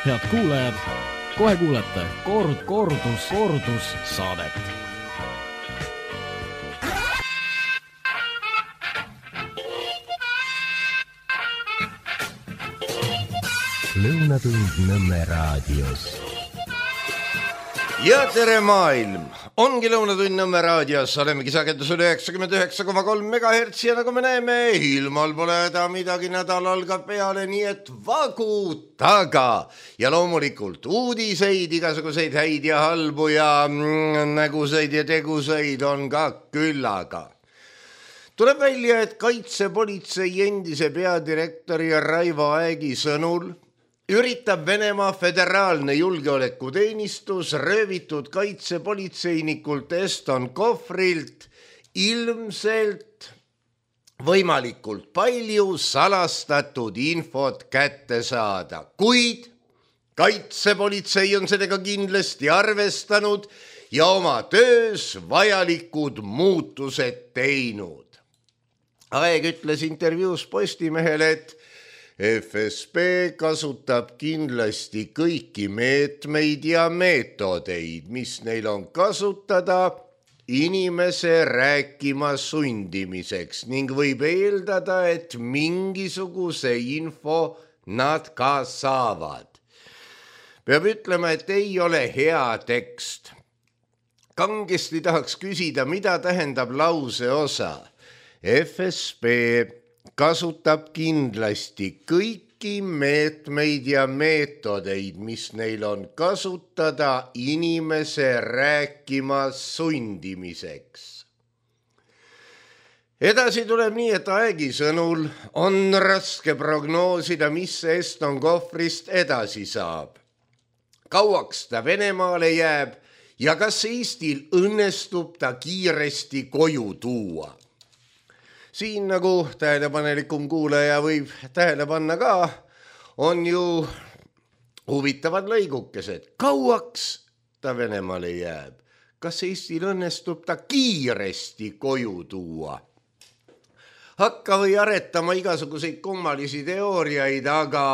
Head kuulajad, kohe kuulete kordus saadet. Lõunatund Nõmme raadios. Ja tere maailm! Ongi Lõunatund Nõmme raadios, olemegi sagedusel 99,3 MHz ja nagu me näeme, ilmal pole häda midagi, nädal algab peale, nii et vagutage. Ja loomulikult uudiseid, igasuguseid häid ja halbu ja näguseid ja teguseid on ka küllaga. Tuleb välja, et kaitsepolitsei endise peadirektori Raivo Aegi sõnul üritab Venemaa föderaalne julgeolekuteenistus röövitud kaitsepolitseinikult Eston Kohvrilt ilmselt võimalikult palju salastatud infot kätte saada, kuid kaitsepolitsei on sellega kindlasti arvestanud ja oma töös vajalikud muutused teinud. Aeg ütles intervjuus Postimehele, et FSB kasutab kindlasti kõiki meetmeid ja meetodeid, mis neil on kasutada inimese rääkima sundimiseks ning võib eeldada, et mingisuguse info nad ka saavad. Peab ütlema, et ei ole hea tekst. Kangesti tahaks küsida, mida tähendab lause osa. FSB kasutab kindlasti kõiki meetmeid ja meetodeid, mis neil on kasutada inimese rääkima sundimiseks. Edasi tuleb nii, et Aegi sõnul on raske prognoosida, mis Eston Kohvrist edasi saab. Kauaks ta Venemaale jääb ja kas Eestil õnnestub ta kiiresti koju tuua? Siin nagu tähelepanelikum kuulaja võib tähele panna ka, on ju huvitavad lõigukesed. Kauaks ta Venemaale jääb? Kas Eestil õnnestub ta kiiresti koju tuua? Hakka või aretama igasuguseid kummalisi teooriaid, aga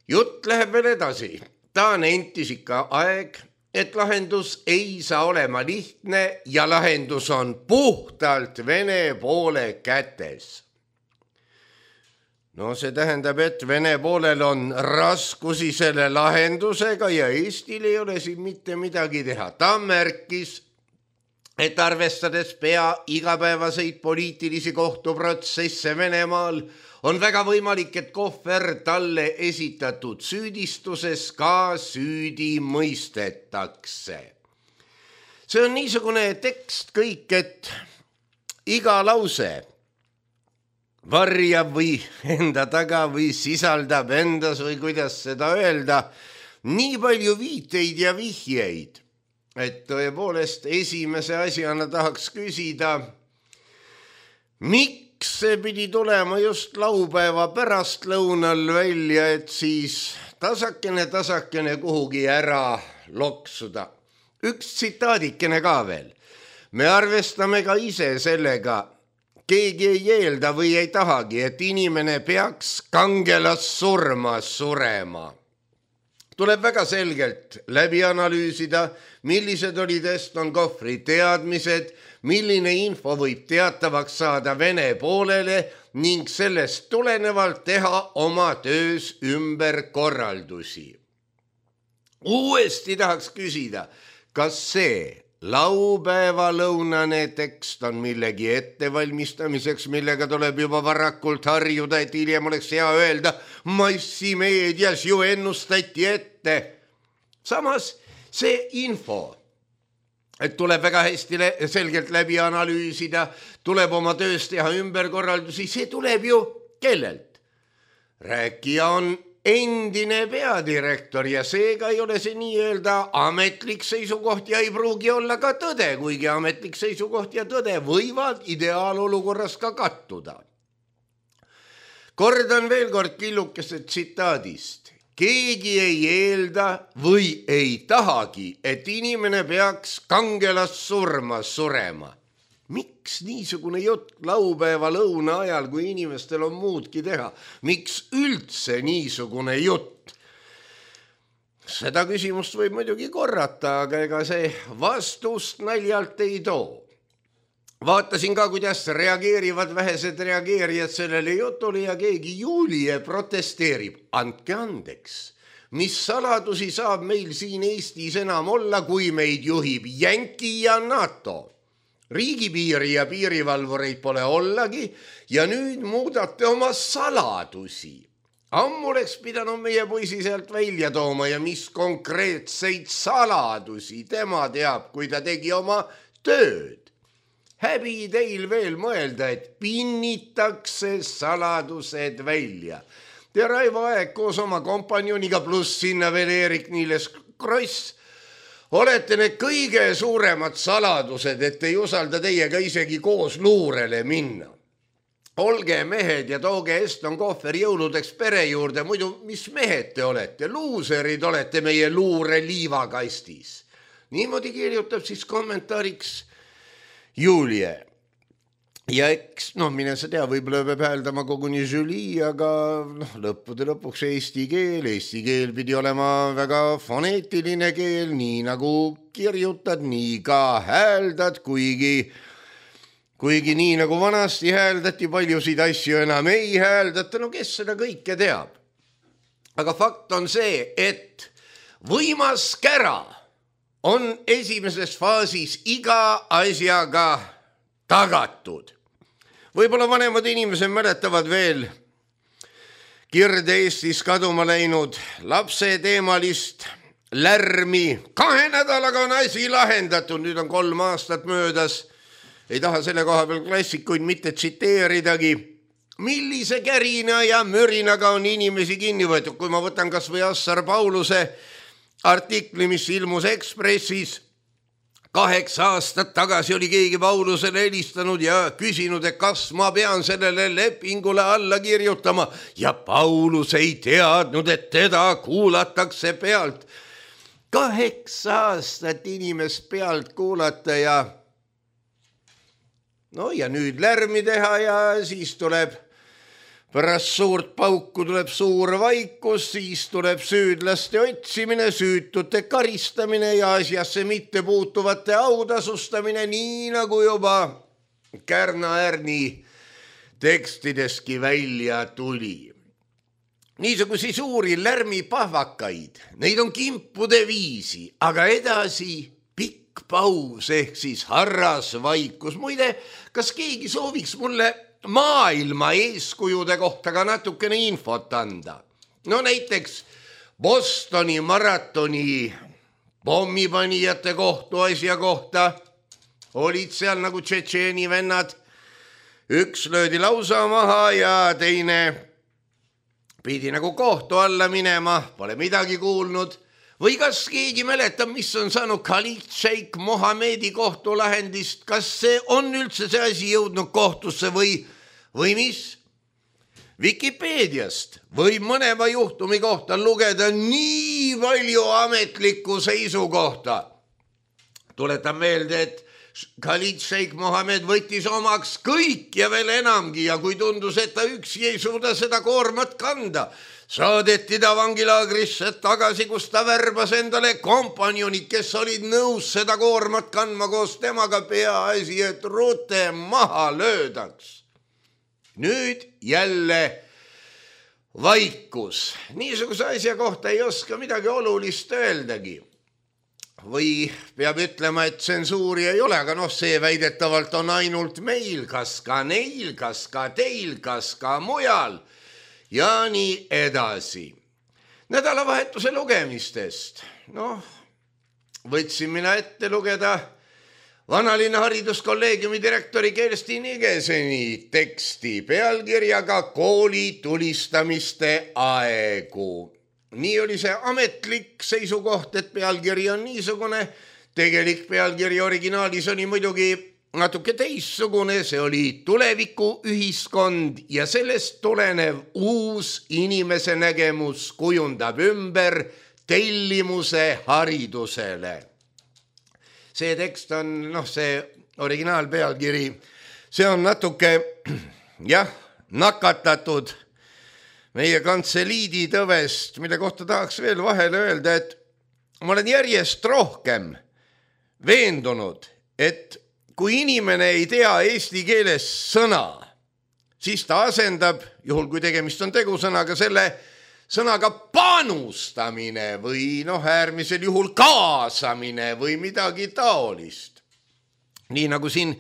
jutt läheb veel edasi. Ta nentis ikka Aeg, et lahendus ei saa olema lihtne ja lahendus on puhtalt Vene poole kätes. No see tähendab, et Vene poolel on raskusi selle lahendusega ja Eestil ei ole siin mitte midagi teha. Ta märkis, et arvestades pea igapäevaseid poliitilisi kohtuprotsesse Venemaal, on väga võimalik, et Kohver talle esitatud süüdistuses ka süüdi mõistetakse. See on niisugune tekst kõik, et iga lause varjab või enda taga või sisaldab endas või kuidas seda öelda, nii palju viiteid ja vihjeid, et tõepoolest esimese asjana tahaks küsida, miks see pidi tulema just laupäeva pärastlõunal välja, et siis tasakene kuhugi ära loksuda. Üks tsitaadikene ka veel. Me arvestame ka ise sellega, keegi ei eelda või ei tahagi, et inimene peaks kangelassurma surema. Tuleb väga selgelt läbi analüüsida, millised olid Eston Kohvri teadmised, milline info võib teatavaks saada Vene poolele ning sellest tulenevalt teha oma töös ümberkorraldusi. Uuesti tahaks küsida, kas see laupäevalõunane tekst on millegi ettevalmistamiseks, millega tuleb juba varakult harjuda, et hiljem oleks hea öelda, massimeedias ju ennustati ette. Samas see info, et tuleb väga hästi selgelt läbi analüüsida, tuleb oma töös teha ümberkorraldusi, see tuleb ju kellelt? Rääkija on endine peadirektor ja seega ei ole see nii-öelda ametlik seisukoht ja ei pruugi olla ka tõde, kuigi ametlik seisukoht ja tõde võivad ideaalolukorras ka kattuda. Kordan veel kord killukese tsitaadist. Keegi ei eelda või ei tahagi, et inimene peaks kangelassurma surema. Miks niisugune jutt laupäeva lõuna ajal, kui inimestel on muudki teha? Miks üldse niisugune jutt? seda küsimust võib muidugi korrata, aga ega see vastust naljalt ei too. Vaatasin ka, kuidas reageerivad vähesed reageerijad sellele jutule ja keegi Julie protesteerib. Andke andeks, mis saladusi saab meil siin Eestis enam olla, kui meid juhib Jänki ja NATO. Riigipiiri ja piirivalvureid pole ollagi ja nüüd muudate oma saladusi. Ammu oleks pidanud meie poisi sealt välja tooma ja mis konkreetseid saladusi tema teab, kui ta tegi oma tööd. Häbi teil veel mõelda, et pinnitakse saladused välja. Te Raivo Aeg koos oma kompanjoniga pluss sinna veel Eerik-Niiles Kross olete need kõige suuremad saladused, et ei usalda teiega isegi koos luurele minna. Olge mehed ja tooge Eston Kohver jõuludeks pere juurde, muidu mis mehed te olete? Luuserid olete meie luure liivakastis. Niimoodi kirjutab siis kommentaariks Julie. Ja eks, mine sa tea, võib-olla peab hääldama koguni Julie, aga lõppude lõpuks eesti keel pidi olema väga foneetiline keel, nii nagu kirjutad, nii ka hääldad, kuigi nii nagu vanasti hääldati, paljusid asju enam ei hääldata, kes seda kõike teab. Aga fakt on see, et võimas kära on esimeses faasis iga asjaga tagatud. Võib-olla vanemad inimesed mäletavad veel Kirde-Eestis kaduma läinud lapse teemalist lärmi. 2 nädalaga on asi lahendatud, nüüd on 3 aastat möödas. Ei taha selle koha peal klassikuid mitte tsiteeridagi. Millise kärina ja mürinaga on inimesi kinni võetud, kui ma võtan kas või Assar Pauluse artikli, mis ilmus Ekspressis. 8 aastat tagasi oli keegi Paulusele helistanud ja küsinud, et kas ma pean sellele lepingule alla kirjutama. Ja Paulus ei teadnud, et teda kuulatakse pealt. 8 aastat inimest pealt kuulata ja nüüd lärmi teha ja siis tuleb pärast suurt pauku tuleb suur vaikus, siis tuleb süüdlaste otsimine, süütute karistamine ja asjasse mitte puutuvate autasustamine, nii nagu juba Kärna-Ärni tekstideski välja tuli. Niisugusi suuri lärmipahvakaid, neid on kimpude viisi, aga edasi pikk paus ehk siis harras vaikus. Muide, kas keegi sooviks mulle maailma eeskujude kohta ka natukene infot anda? Näiteks Bostoni maratoni pommipanijate kohtuasja kohta olid seal nagu tšetšeeni vennad. Üks löödi lausa maha ja teine pidi nagu kohtu alla minema, pole midagi kuulnud. Või kas keegi mäletab, mis on saanud Khalid Sheikh Mohammedi kohtulahendist? Kas see on üldse see asi jõudnud kohtusse või mis? Wikipeediast võib mõneva juhtumi kohta lugeda nii palju ametlikku seisukohta. Tuletan meelde, et Khalid Sheikh Mohammed võttis omaks kõik ja veel enamgi ja kui tundus, et ta üksi ei suuda seda koormat kanda, saadeti ta vangilaagrisse tagasi, kus ta värbas endale kompanjonid, kes olid nõus seda koormat kandma koos temaga, peaasi, et rute maha löödaks. Nüüd jälle vaikus. Niisuguse asja kohta ei oska midagi olulist öeldagi. Või peab ütlema, et tsensuuri ei ole, aga see väidetavalt on ainult meil, kas ka neil, kas ka teil, kas ka mujal. Ja nii edasi. Nädalavahetuse lugemistest. Võtsin mina ette lugeda Vanalinna hariduskolleegiumi direktori Kersti Nigeseni teksti pealkirjaga Kooli tulistamiste aegu. Nii oli see ametlik seisukoht, et pealkiri on niisugune. Tegelik pealkiri originaalis oli muidugi natuke teissugune, see oli tulevikuühiskond ja sellest tulenev uus inimese nägemus kujundab ümber tellimuse haridusele. See tekst on, see originaalpealkiri, see on natuke, nakatatud meie kantseliidi tõvest, mille kohta tahaks veel vahele öelda, et ma olen järjest rohkem veendunud, et kui inimene ei tea eesti keeles sõna, siis ta asendab, juhul kui tegemist on tegusõnaga, selle sõnaga panustamine või äärmisel juhul kaasamine või midagi taolist. Nii nagu siin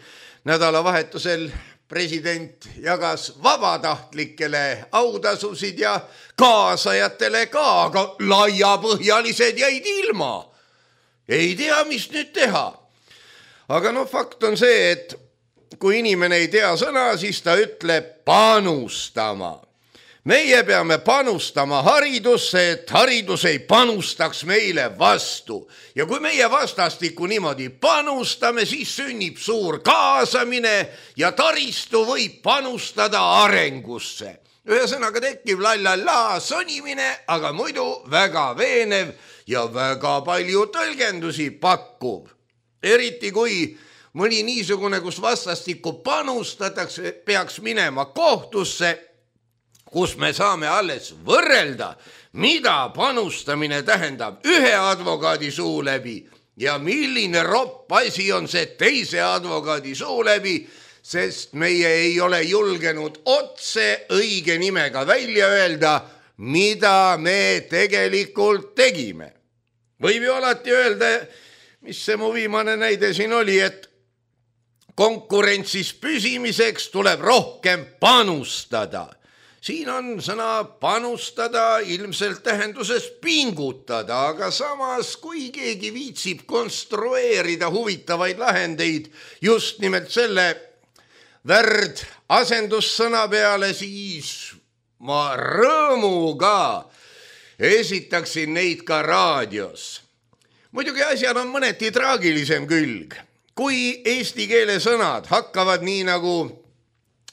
nädalavahetusel president jagas vabatahtlikele autasusid ja kaasajatele ka, aga laiapõhjalised jäid ilma. Ei tea, mis nüüd teha. Aga fakt on see, et kui inimene ei tea sõna, siis ta ütleb panustama. Meie peame panustama haridusse, et haridus ei panustaks meile vastu. Ja kui meie vastastikku niimoodi panustame, siis sünnib suur kaasamine ja taristu võib panustada arengusse. Ühesõnaga tekib lallala sonimine, aga muidu väga veenev ja väga palju tõlgendusi pakkuv. Eriti kui mõni niisugune, kus vastastikku panustatakse, peaks minema kohtusse, kus me saame alles võrrelda, mida panustamine tähendab ühe advokaadi suu läbi ja milline ropp asi on see teise advokaadi suu läbi, sest meie ei ole julgenud otse õige nimega välja öelda, mida me tegelikult tegime. Võib ju alati öelda, mis see mu viimane näide siin oli, et konkurentsis püsimiseks tuleb rohkem panustada. Siin on sõna panustada ilmselt tähenduses pingutada, aga samas kui keegi viitsib konstrueerida huvitavaid lahendeid just nimelt selle värd asendussõna peale, siis ma rõõmuga esitaksin neid ka raadios. Muidugi asjal on mõneti traagilisem külg. Kui eesti keele sõnad hakkavad nii nagu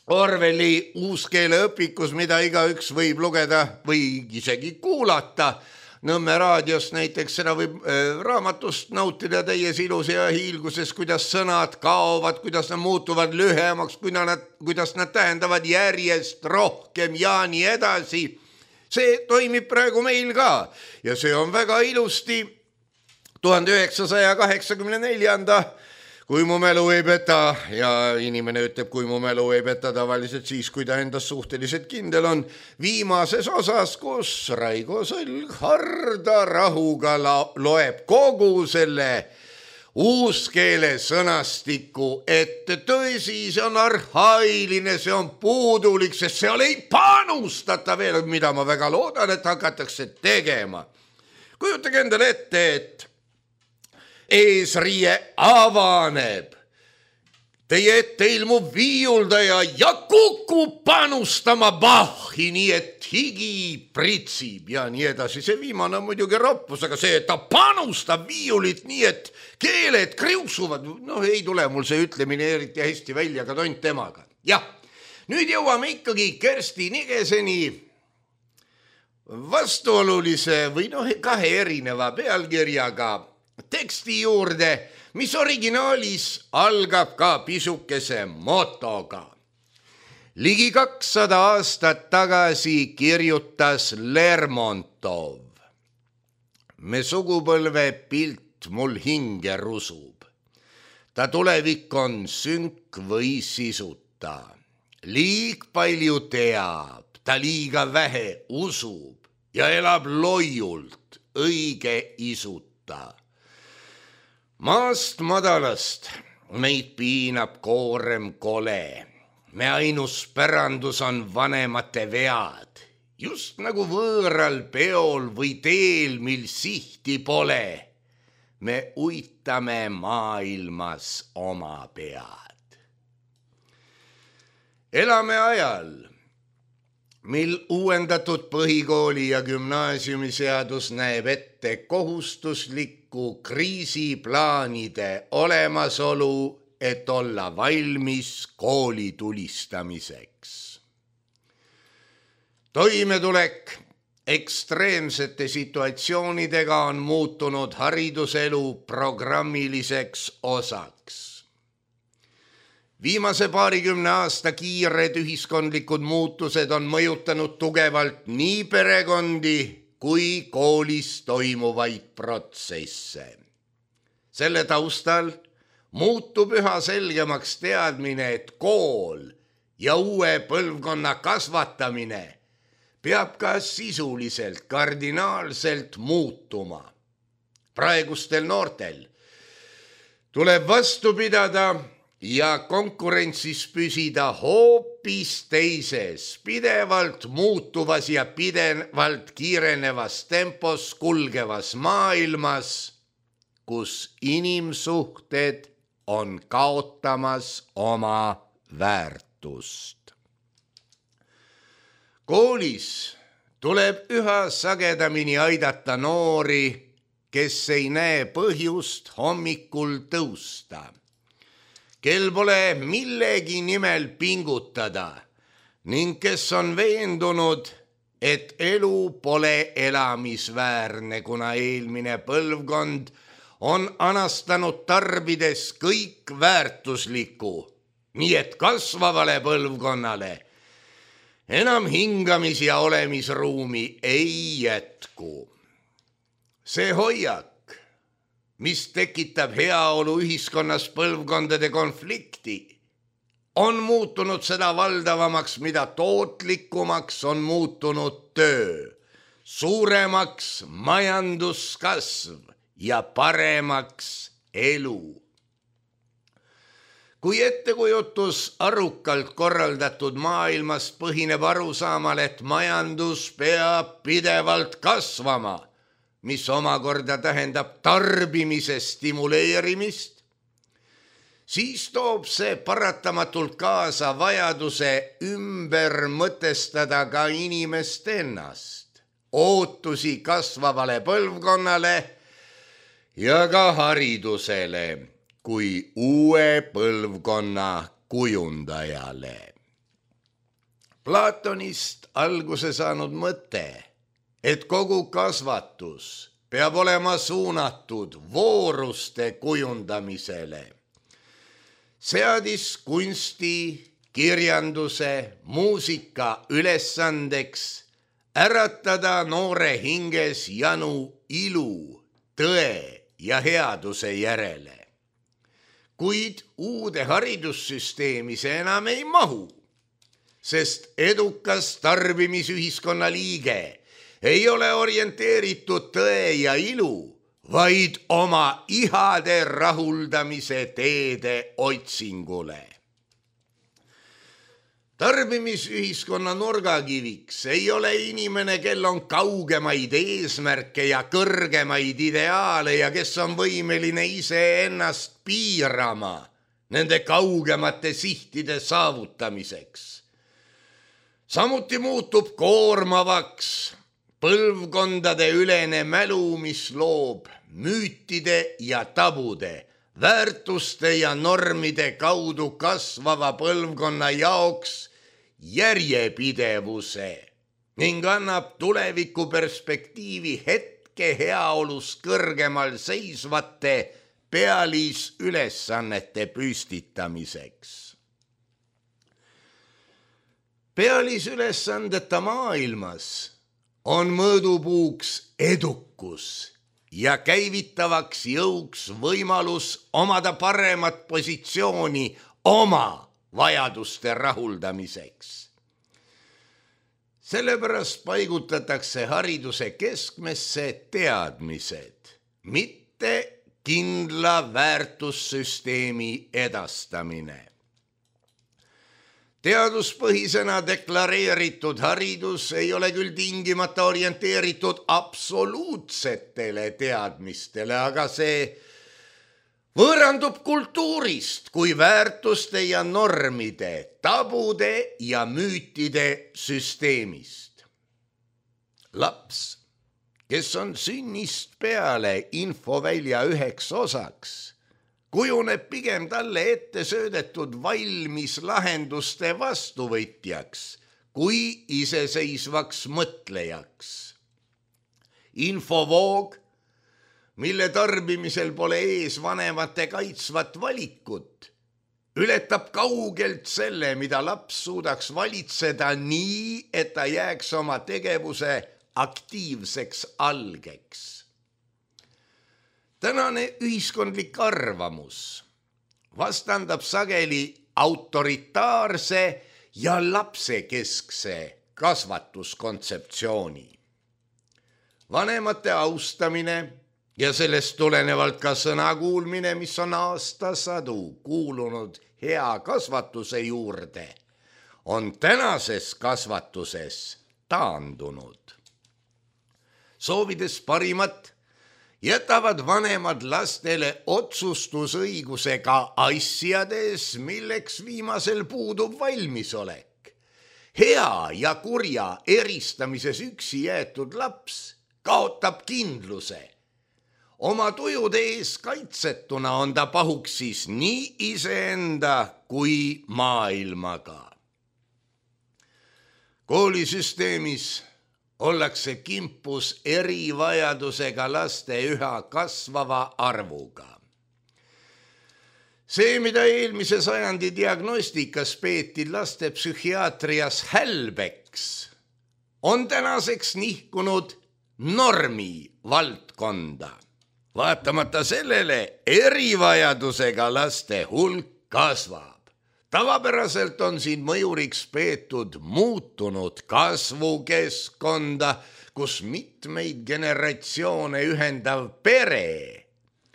Orwelli uuskeeleõpikus, mida igaüks võib lugeda või isegi kuulata. Nõmme raadios näiteks seda võib raamatust nautida täies ilus ja hiilguses, kuidas sõnad kaovad, kuidas nad muutuvad lühemaks, kuidas nad tähendavad järjest rohkem ja nii edasi. See toimib praegu meil ka ja see on väga ilusti 1984. Kui mu mälu ei peta, ja inimene ütleb, kui mu mälu ei peta tavaliselt siis, kui ta endas suhteliselt kindel on, viimases osas, kus Raigo Sõlg harda rahuga loeb kogu selle uuskeele sõnastiku, et tõsi, see on arhailine, see on puudulik, sest seal ei panustata veel, mida ma väga loodan, et hakatakse tegema. Kujutage endale ette, et eesriie avaneb. Teie ette ilmub viiuldaja ja kukub panustama Bachi, nii et higi pritsib ja nii edasi. See viimane on muidugi roppus, aga see, et ta panustab viiulit nii, et keeled kriuksuvad, ei tule mul see ütlemine eriti hästi välja, aga tont temaga. Jah, nüüd jõuame ikkagi Kersti Nigeseni vastuolulise või kahe erineva pealkirjaga teksti juurde, mis originaalis algab ka pisukese motoga. Ligi 200 aastat tagasi kirjutas Lermontov. Me sugupõlve pilt mul hinge rusub. Ta tulevik on sünk või sisuta. Liig palju teab, ta liiga vähe usub ja elab loiult, õige isuta. Maast madalast meid piinab koorem kole. Me ainus pärandus on vanemate vead. Just nagu võõral peol või teel, mil sihti pole. Me uitame maailmas oma pead. Elame ajal, mil uuendatud põhikooli ja gümnaasiumiseadus näeb ette kohustuslikku kriisiplaanide olemasolu, et olla valmis kooli tulistamiseks. Toimetulek ekstreemsete situatsioonidega on muutunud hariduselu programmiliseks osaks. Viimase 20 aasta kiired ühiskondlikud muutused on mõjutanud tugevalt nii perekondi kui koolis toimuvaid protsesse. Selle taustal muutub üha selgemaks teadmine, et kool ja uue põlvkonna kasvatamine peab ka sisuliselt kardinaalselt muutuma. Praegustel noortel tuleb vastu pidada ja konkurentsis püsida hoopis teises, pidevalt muutuvas ja pidevalt kiirenevas tempos kulgevas maailmas, kus inimsuhted on kaotamas oma väärtust. Koolis tuleb üha sagedamini aidata noori, kes ei näe põhjust hommikul tõusta, kel pole millegi nimel pingutada ning kes on veendunud, et elu pole elamisväärne, kuna eelmine põlvkond on anastanud tarbides kõik väärtuslikku, nii et kasvavale põlvkonnale enam hingamis- ja olemisruumi ei jätku. See hoiak, mis tekitab heaolu ühiskonnas põlvkondade konflikti, on muutunud seda valdavamaks, mida tootlikumaks on muutunud töö, suuremaks majanduskasv ja paremaks elu. Kui ettekujutus arukalt korraldatud maailmast põhineb arusaamal, et majandus peab pidevalt kasvama, mis omakorda tähendab tarbimise stimuleerimist, siis toob see paratamatult kaasa vajaduse ümber mõtestada ka inimest ennast, ootusi kasvavale põlvkonnale ja ka haridusele kui uue põlvkonna kujundajale. Platonist alguse saanud mõte, et kogu kasvatus peab olema suunatud vooruste kujundamisele, seadis kunsti, kirjanduse, muusika ülesandeks äratada noore hinges janu ilu, tõe ja headuse järele. Kuid uude haridussüsteemi see enam ei mahu, sest edukas tarbimisühiskonna liige ei ole orienteeritud tõe ja ilu, vaid oma ihade rahuldamise teede otsingule. Tarbimisühiskonna nurgakiviks ei ole inimene, kel on kaugemaid eesmärke ja kõrgemaid ideaale ja kes on võimeline iseennast piirama nende kaugemate sihtide saavutamiseks. Samuti muutub koormavaks põlvkondade ülene mälu, mis loob müütide ja tabude, väärtuste ja normide kaudu kasvava põlvkonna jaoks järjepidevuse ning annab tulevikuperspektiivi hetke heaolus kõrgemal seisvate pealisülesannete püstitamiseks. Pealisülesandeta maailmas on mõõdupuuks edukus ja käivitavaks jõuks võimalus omada paremat positsiooni oma vajaduste rahuldamiseks. Sellepärast paigutatakse hariduse keskmesse teadmised, mitte kindla väärtussüsteemi edastamine. Teaduspõhisena deklareeritud haridus ei ole küll tingimata orienteeritud absoluutsetele teadmistele, aga see võõrandub kultuurist kui väärtuste ja normide, tabude ja müütide süsteemist. Laps, kes on sünnist peale infovälja üheks osaks, kujuneb pigem talle ette söödetud valmis lahenduste vastuvõtjaks kui iseseisvaks mõtlejaks. Infovoog, mille tarbimisel pole ees vanemate kaitsvat valikut, ületab kaugelt selle, mida laps suudaks valitseda nii, et ta jääks oma tegevuse aktiivseks algeks. Tänane ühiskondlik arvamus vastandab sageli autoritaarse ja lapsekeskse kasvatuskontseptsiooni. Vanemate austamine ja sellest tulenevalt ka sõna kuulmine, mis on aastasadu kuulunud hea kasvatuse juurde, on tänases kasvatuses taandunud. Soovides parimat, jätavad vanemad lastele otsustusõigusega asjades, milleks viimasel puudub valmisolek. Hea ja kurja eristamises üksi jäetud laps kaotab kindluse. Oma tujude ees kaitsetuna on ta pahuks siis nii iseenda kui maailmaga. Koolisüsteemis ollakse kimpus erivajadusega laste üha kasvava arvuga. See, mida eelmise sajandi diagnostikas peeti laste psühhiaatrias hälbeks, on tänaseks nihkunud normi valdkonda. Vaatamata sellele erivajadusega laste hulk kasvab. Tavapäraselt on siin mõjuriks peetud muutunud kasvukeskkonda, kus mitmeid generatsioone ühendav pere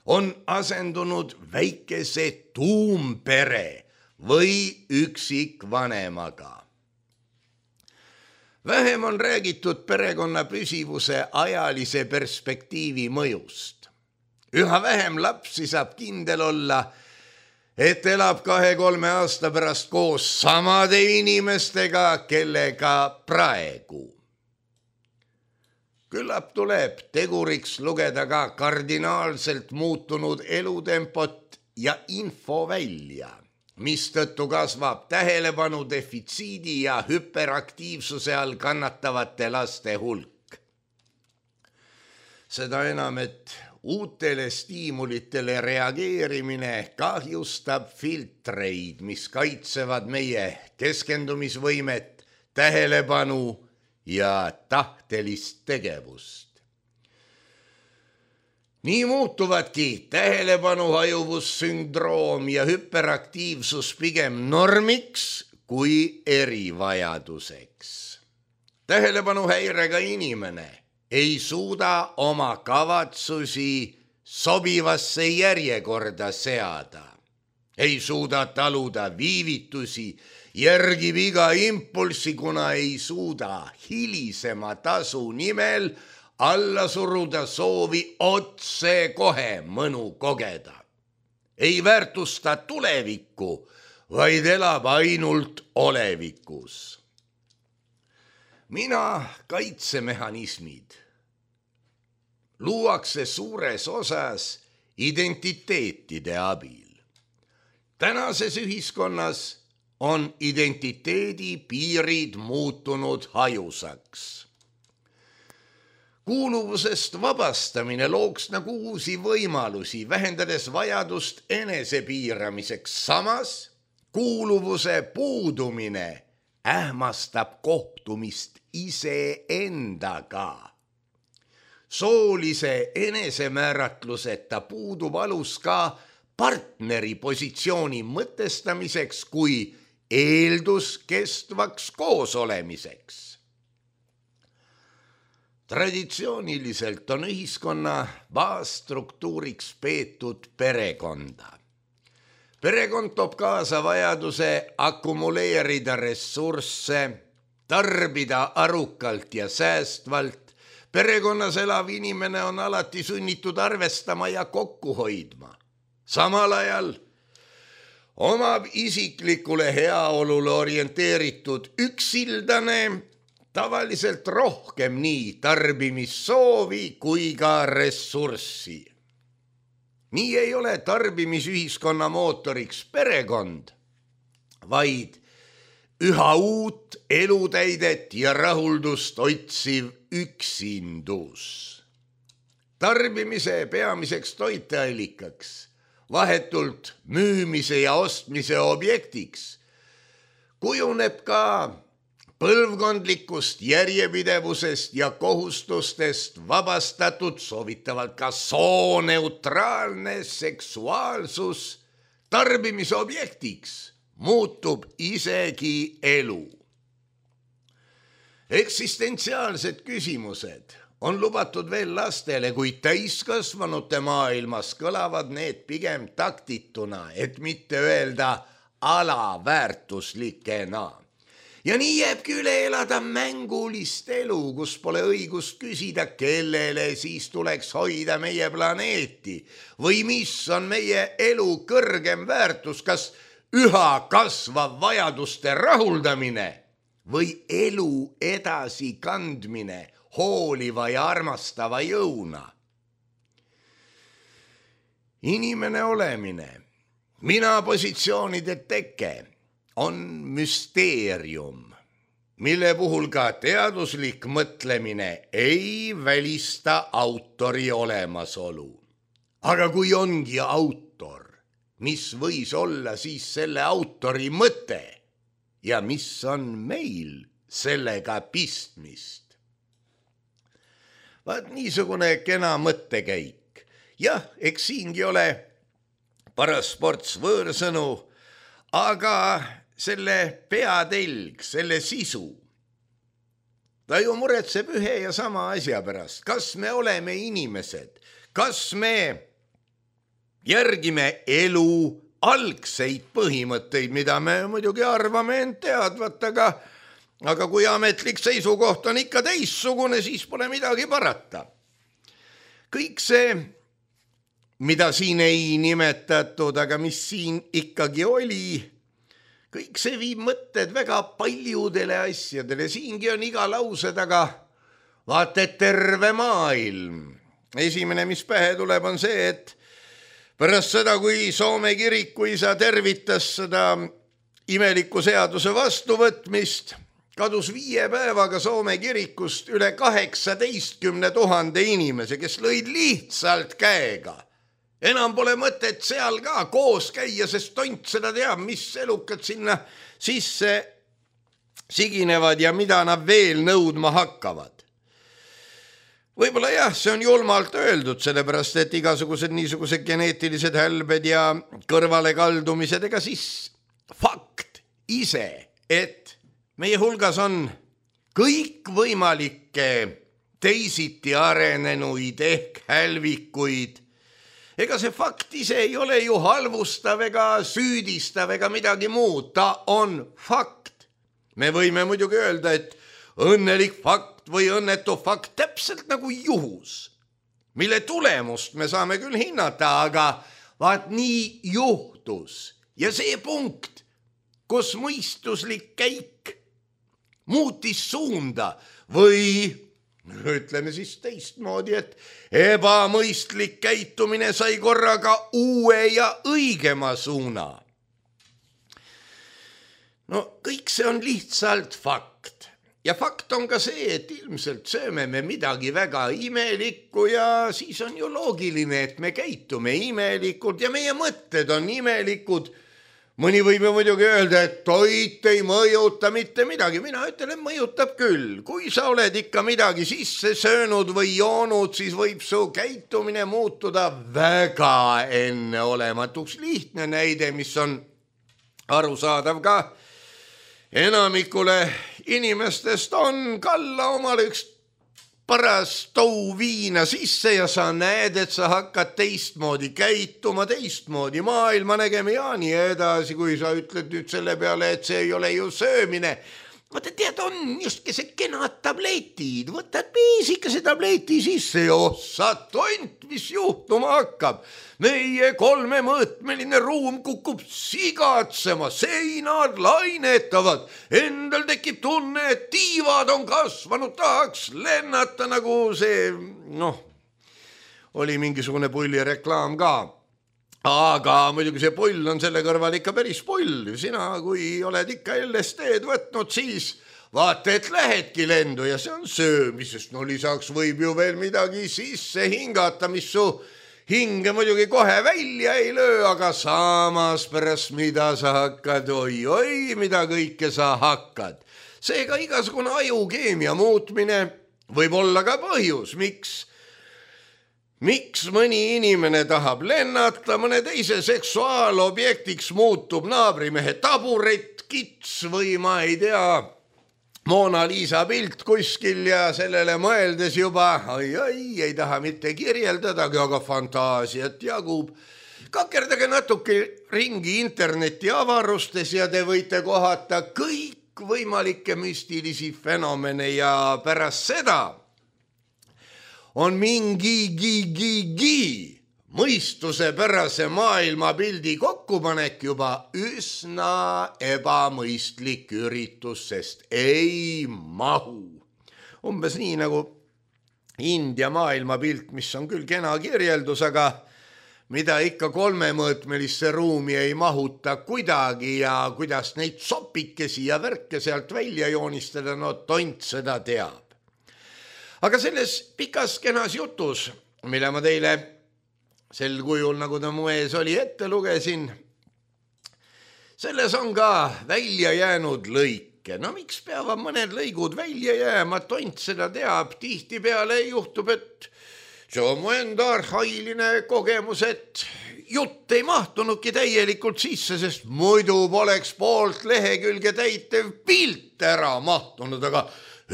on asendunud väikese tuumpere või üksikvanemaga. Vähem on räägitud perekonna püsivuse ajalise perspektiivi mõjust. Üha vähem lapsi saab kindel olla, et elab 2-3 aasta pärast koos samade inimestega, kellega praegu. Küllap tuleb teguriks lugeda ka kardinaalselt muutunud elutempot ja info välja, mistõttu kasvab tähelepanu defitsiidi ja hüperaktiivsuse all kannatavate laste hulk. Seda enam, et uutele stiimulitele reageerimine kahjustab filtreid, mis kaitsevad meie keskendumisvõimet, tähelepanu ja tahtelist tegevust. Nii muutuvadki tähelepanu hajuvussündroom ja hüperaktiivsus pigem normiks kui erivajaduseks. Tähelepanuhäirega inimene ei suuda oma kavatsusi sobivasse järjekorda seada, ei suuda taluda viivitusi, järgib iga impulssi, kuna ei suuda hilisema tasu nimel alla suruda soovi otse kohe mõnu kogeda. Ei väärtusta tulevikku, vaid elab ainult olevikus. Mina kaitsemehhanismid luuakse suures osas identiteetide abil. Tänases ühiskonnas on identiteedi piirid muutunud hajusaks. Kuuluvusest vabastamine looks nagu uusi võimalusi, vähendades vajadust enesepiiramiseks. Samas kuuluvuse puudumine ähmastab kohtumist iseendaga. Soolise enesemääratluseta puudub alus ka partneri positsiooni mõtestamiseks kui eeldus kestvaks koosolemiseks. Traditsiooniliselt on ühiskonna baasstruktuuriks peetud perekonda. Perekond toob kaasa vajaduse akumuleerida ressursse, tarbida arukalt ja säästvalt. Perekonnas elav inimene on alati sunnitud arvestama ja kokku hoidma. Samal ajal omab isiklikule heaolule orienteeritud üksildane tavaliselt rohkem nii tarbimissoovi kui ka ressurssi. Nii ei ole tarbimisühiskonna mootoriks perekond, vaid üha uut elutäidet ja rahuldust otsiv üksindus. Tarbimise peamiseks toiteallikaks, vahetult müümise ja ostmise objektiks kujuneb ka põlvkondlikust järjepidevusest ja kohustustest vabastatud soovitavalt ka sooneutraalne seksuaalsus tarbimisobjektiks muutub isegi elu. Eksistentsiaalsed küsimused on lubatud veel lastele, kuid täiskasvanute maailmas kõlavad need pigem taktituna, et mitte öelda alaväärtuslikena. Ja nii jääbki üle elada mängulist elu, kus pole õigust küsida, kellele siis tuleks hoida meie planeeti või mis on meie elu kõrgem väärtus, kas üha kasvav vajaduste rahuldamine või elu edasi kandmine hooliva ja armastava jõuna. Inimene olemine, mina positsioonide teke on müsteerium, mille puhul ka teaduslik mõtlemine ei välista autori olemasolu. Aga kui ongi autor, mis võis olla siis selle autori mõte ja mis on meil sellega pistmist? Vaat niisugune kena mõttekäik. Jah, eks siingi ole paras ports võõrsõnu, aga selle peatelg, selle sisu, ta ju muretseb ühe ja sama asja pärast. Kas me oleme inimesed? Kas me järgime elu algseid põhimõtteid, mida me muidugi arvame end teadvat, aga kui ametlik seisukoht on ikka teissugune, siis pole midagi parata. Kõik see, mida siin ei nimetatud, aga mis siin ikkagi oli, kõik see viib mõtted väga paljudele asjadele. Siingi on iga lause taga, vaata, et terve maailm. Esimene, mis pähe tuleb, on see, et pärast seda, kui Soome kirikuisa tervitas seda imeliku seaduse vastuvõtmist, kadus 5 päevaga Soome kirikust üle 18 000 inimese, kes lõid lihtsalt käega. Enam pole mõtet seal ka koos käia, sest tont seda teab, mis elukad sinna sisse siginevad ja mida nad veel nõudma hakkavad. Võib-olla jah, see on julmalt öeldud, sellepärast et igasugused niisugused geneetilised hälbed ja kõrvalekaldumised, ega siis fakt ise, et meie hulgas on kõikvõimalikke teisiti arenenuid ehk hälvikuid. Ega see fakt ise ei ole ju halvustav ega süüdistav ega midagi muud, ta on fakt. Me võime muidugi öelda, et õnnelik fakt või õnnetu fakt täpselt nagu juhus, mille tulemust me saame küll hinnata, aga vaat nii juhtus. Ja see punkt, kus mõistuslik käik muutis suunda või ütleme siis teistmoodi, et ebamõistlik käitumine sai korraga uue ja õigema suuna. No kõik see on lihtsalt fakt. Ja fakt on ka see, et ilmselt sööme me midagi väga imelikku ja siis on ju loogiline, et me käitume imelikult ja meie mõtted on imelikud. Mõni võib ju muidugi öelda, et toit ei mõjuta mitte midagi. Mina ütlen, et mõjutab küll. Kui sa oled ikka midagi sisse söönud või joonud, siis võib su käitumine muutuda väga enneolematuks. Lihtne näide, mis on arusaadav ka enamikule inimestest, on kalla omale üks paras tou viina sisse ja sa näed, et sa hakkad teistmoodi käituma, teistmoodi maailma nägema ja nii edasi, kui sa ütled nüüd selle peale, et see ei ole ju söömine. Vaata, tead, on justki see kenad tabletid, võtad piisikese tableti sisse ja sa tont, mis juhtuma hakkab. Meie 3-mõõtmeline ruum kukub sigatsema, seinad lainetavad, endal tekib tunne, et tiivad on kasvanud, tahaks lennata nagu see, oli mingisugune pullireklaam ka. Aga muidugi see pull on selle kõrval ikka päris pull. Sina, kui oled ikka LSD-d võtnud, siis vaata, et lähedki lendu ja see on söömisest. No lisaks võib ju veel midagi sisse hingata, mis su hinge muidugi kohe välja ei löö, aga samas pärast mida sa hakkad, oi, mida kõike sa hakkad. Seega igasugune ajukeemia muutmine võib olla ka põhjus, miks mõni inimene tahab lennata, mõne teise seksuaalobjektiks muutub naabrimehe taburet, kits või ma ei tea, Mona Lisa pilt kuskil ja sellele mõeldes juba, ei taha mitte kirjeldadagi, aga fantaasiat jagub. Kakerdage natuke ringi interneti avarustes ja te võite kohata kõik võimalikke müstilisi fenomene ja pärast seda on mingi mõistusepärase maailmapildi kokkupanek juba üsna ebamõistlik üritus, sest ei mahu. Umbes nii nagu India maailmapilt, mis on küll kena kirjeldus, aga mida ikka kolmemõõtmelisse ruumi ei mahuta kuidagi ja kuidas neid sopikesi ja värke sealt välja joonistada, no tont seda teab. Aga selles pikas kenas jutus, mille ma teile sel kujul, nagu ta mu ees oli, ette lugesin, selles on ka välja jäänud lõike. No miks peavad mõned lõigud välja jääma, tont seda teab. Tihtipeale juhtub, et see on mu enda arhailine kogemus, et jutt ei mahtunudki täielikult sisse, sest muidu poleks poolt lehekülge täitev pilt ära mahtunud, aga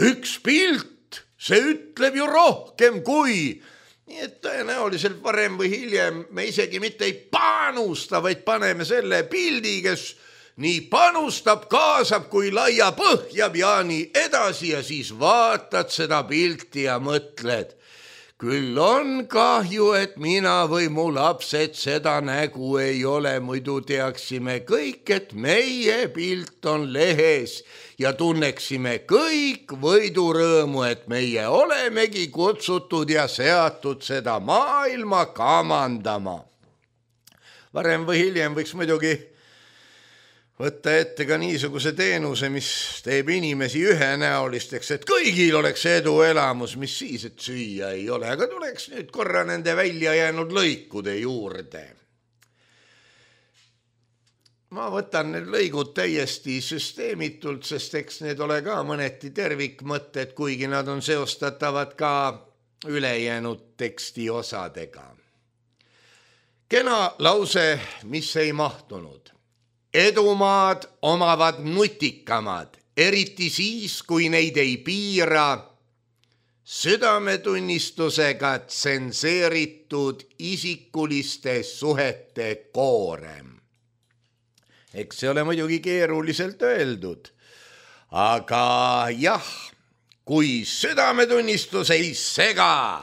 üks pilt, see ütleb ju rohkem kui... Nii et tõenäoliselt varem või hiljem me isegi mitte ei panusta, vaid paneme selle pildi, kes nii panustab, kaasab kui laia põhjab ja nii edasi ja siis vaatad seda pilti ja mõtled. Küll on kahju, et mina või mu lapsed seda nägu ei ole, muidu teaksime kõik, et meie pilt on lehes ja tunneksime kõik võidurõõmu, et meie olemegi kutsutud ja seatud seda maailma kamandama. Varem või hiljem võiks muidugi võtta ette ka niisuguse teenuse, mis teeb inimesi ühenäolisteks, et kõigil oleks eduelamus, mis siis, et süüa ei ole, aga tuleks nüüd korra nende välja jäänud lõikude juurde. Ma võtan need lõigud täiesti süsteemitult, sest eks need ole ka mõneti tervikmõtted, kuigi nad on seostatavad ka ülejäänud teksti osadega. Kena lause, mis ei mahtunud. Edumaad omavad nutikamad, eriti siis, kui neid ei piira südametunnistusega tsenseeritud isikuliste suhete koorem. Eks see ole muidugi keeruliselt öeldud, aga jah, kui südametunnistus ei sega,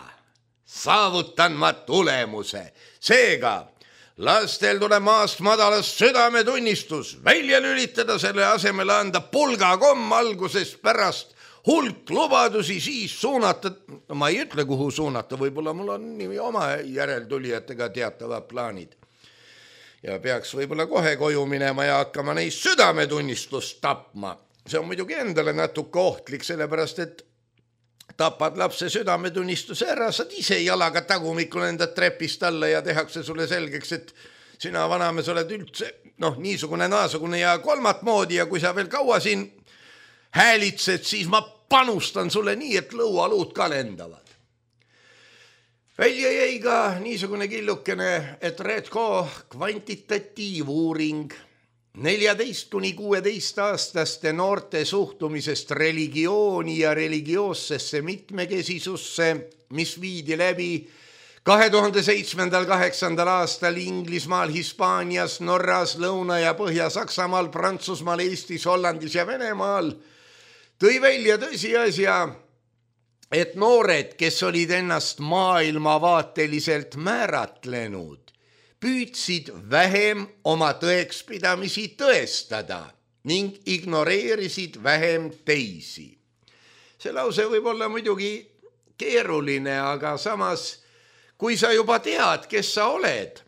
saavutan ma tulemuse. Seega, lastel tuleb maast madalast südametunnistus välja lülitada, selle asemel anda pulgakomm algusest pärast hulk lubadusi, siis suunata, ma ei ütle, kuhu suunata, võib-olla mul on oma järeltulijatega teatavad plaanid. Ja peaks võib-olla kohe koju minema ja hakkama neist südametunnistust tapma. See on muidugi endale natuke ohtlik, sellepärast, et tapad lapse südametunnistuse ära, saad ise jalaga tagumikul enda trepist alla ja tehakse sulle selgeks, et sina vanamees oled üldse niisugune naasugune ja kolmat moodi ja kui sa veel kaua siin häälitsed, siis ma panustan sulle nii, et lõualuud ka lendavad. Välja jäi ka niisugune killukene, et Redco kvantitatiivuuring 14–16-aastaste noorte suhtumisest religiooni ja religioossesse mitmekesisusse, mis viidi läbi 2007–2008 aastal Inglismaal, Hispaanias, Norras, Lõuna- ja Põhja-Saksamaal, Prantsusmaal, Eestis, Hollandis ja Venemaal, tõi välja tõsiasja, et noored, kes olid ennast maailmavaateliselt määratlenud, püüdsid vähem oma tõekspidamisi tõestada ning ignoreerisid vähem teisi. See lause võib olla muidugi keeruline, aga samas, kui sa juba tead, kes sa oled,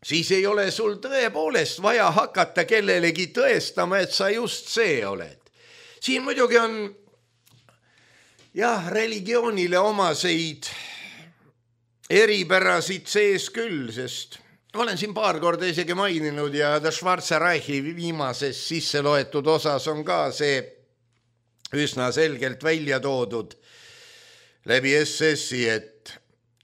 siis ei ole sul tõepoolest vaja hakata kellelegi tõestama, et sa just see oled. Siin muidugi on religioonile omaseid eripärasid sees küll, sest olen siin paar korda isegi maininud ja The Schwarze Reichi viimases sisse loetud osas on ka see üsna selgelt välja toodud läbi SS-i, et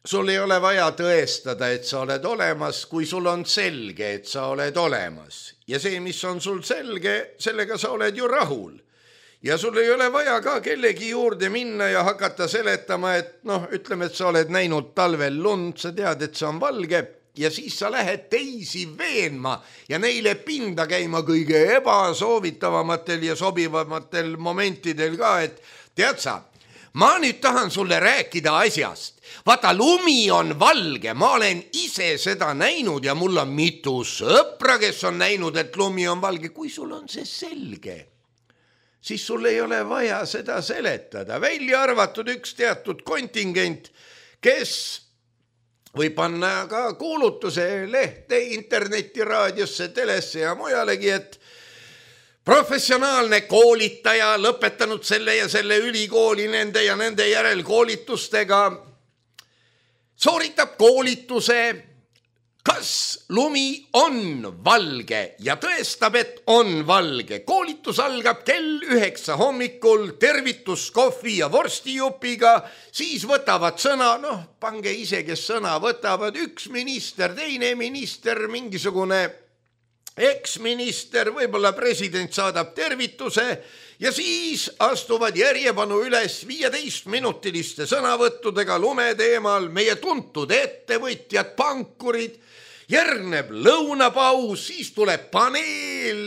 sul ei ole vaja tõestada, et sa oled olemas, kui sul on selge, et sa oled olemas. Ja see, mis on sul selge, sellega sa oled ju rahul. Ja sul ei ole vaja ka kellegi juurde minna ja hakata seletama, et ütleme, et sa oled näinud talvel lund, sa tead, et see on valge ja siis sa lähed teisi veenma ja neile pinda käima kõige ebasoovitavamatel ja sobivamatel momentidel ka, et tead sa, ma nüüd tahan sulle rääkida asjast. Vaata, lumi on valge, ma olen ise seda näinud ja mul on mitu sõpra, kes on näinud, et lumi on valge. Kui sul on see selge, siis sul ei ole vaja seda seletada. Välja arvatud üks teatud kontingent, kes võib panna ka kuulutuse lehte, internetti, raadiosse, telesse ja mujalegi, et professionaalne koolitaja, lõpetanud selle ja selle ülikooli nende ja nende järelkoolitustega, sooritab koolituse, kas lumi on valge ja tõestab, et on valge. Koolitus algab kell 9 hommikul tervituskohvi ja vorstijupiga, siis võtavad sõna, pange ise, kes sõna võtavad, üks minister, teine minister, mingisugune eksminister, võib-olla president saadab tervituse ja siis astuvad järjepanu üles 15-minutiliste sõnavõttudega lume teemal meie tuntud ettevõtjad, pankurid, järgneb lõunapaus, siis tuleb paneel,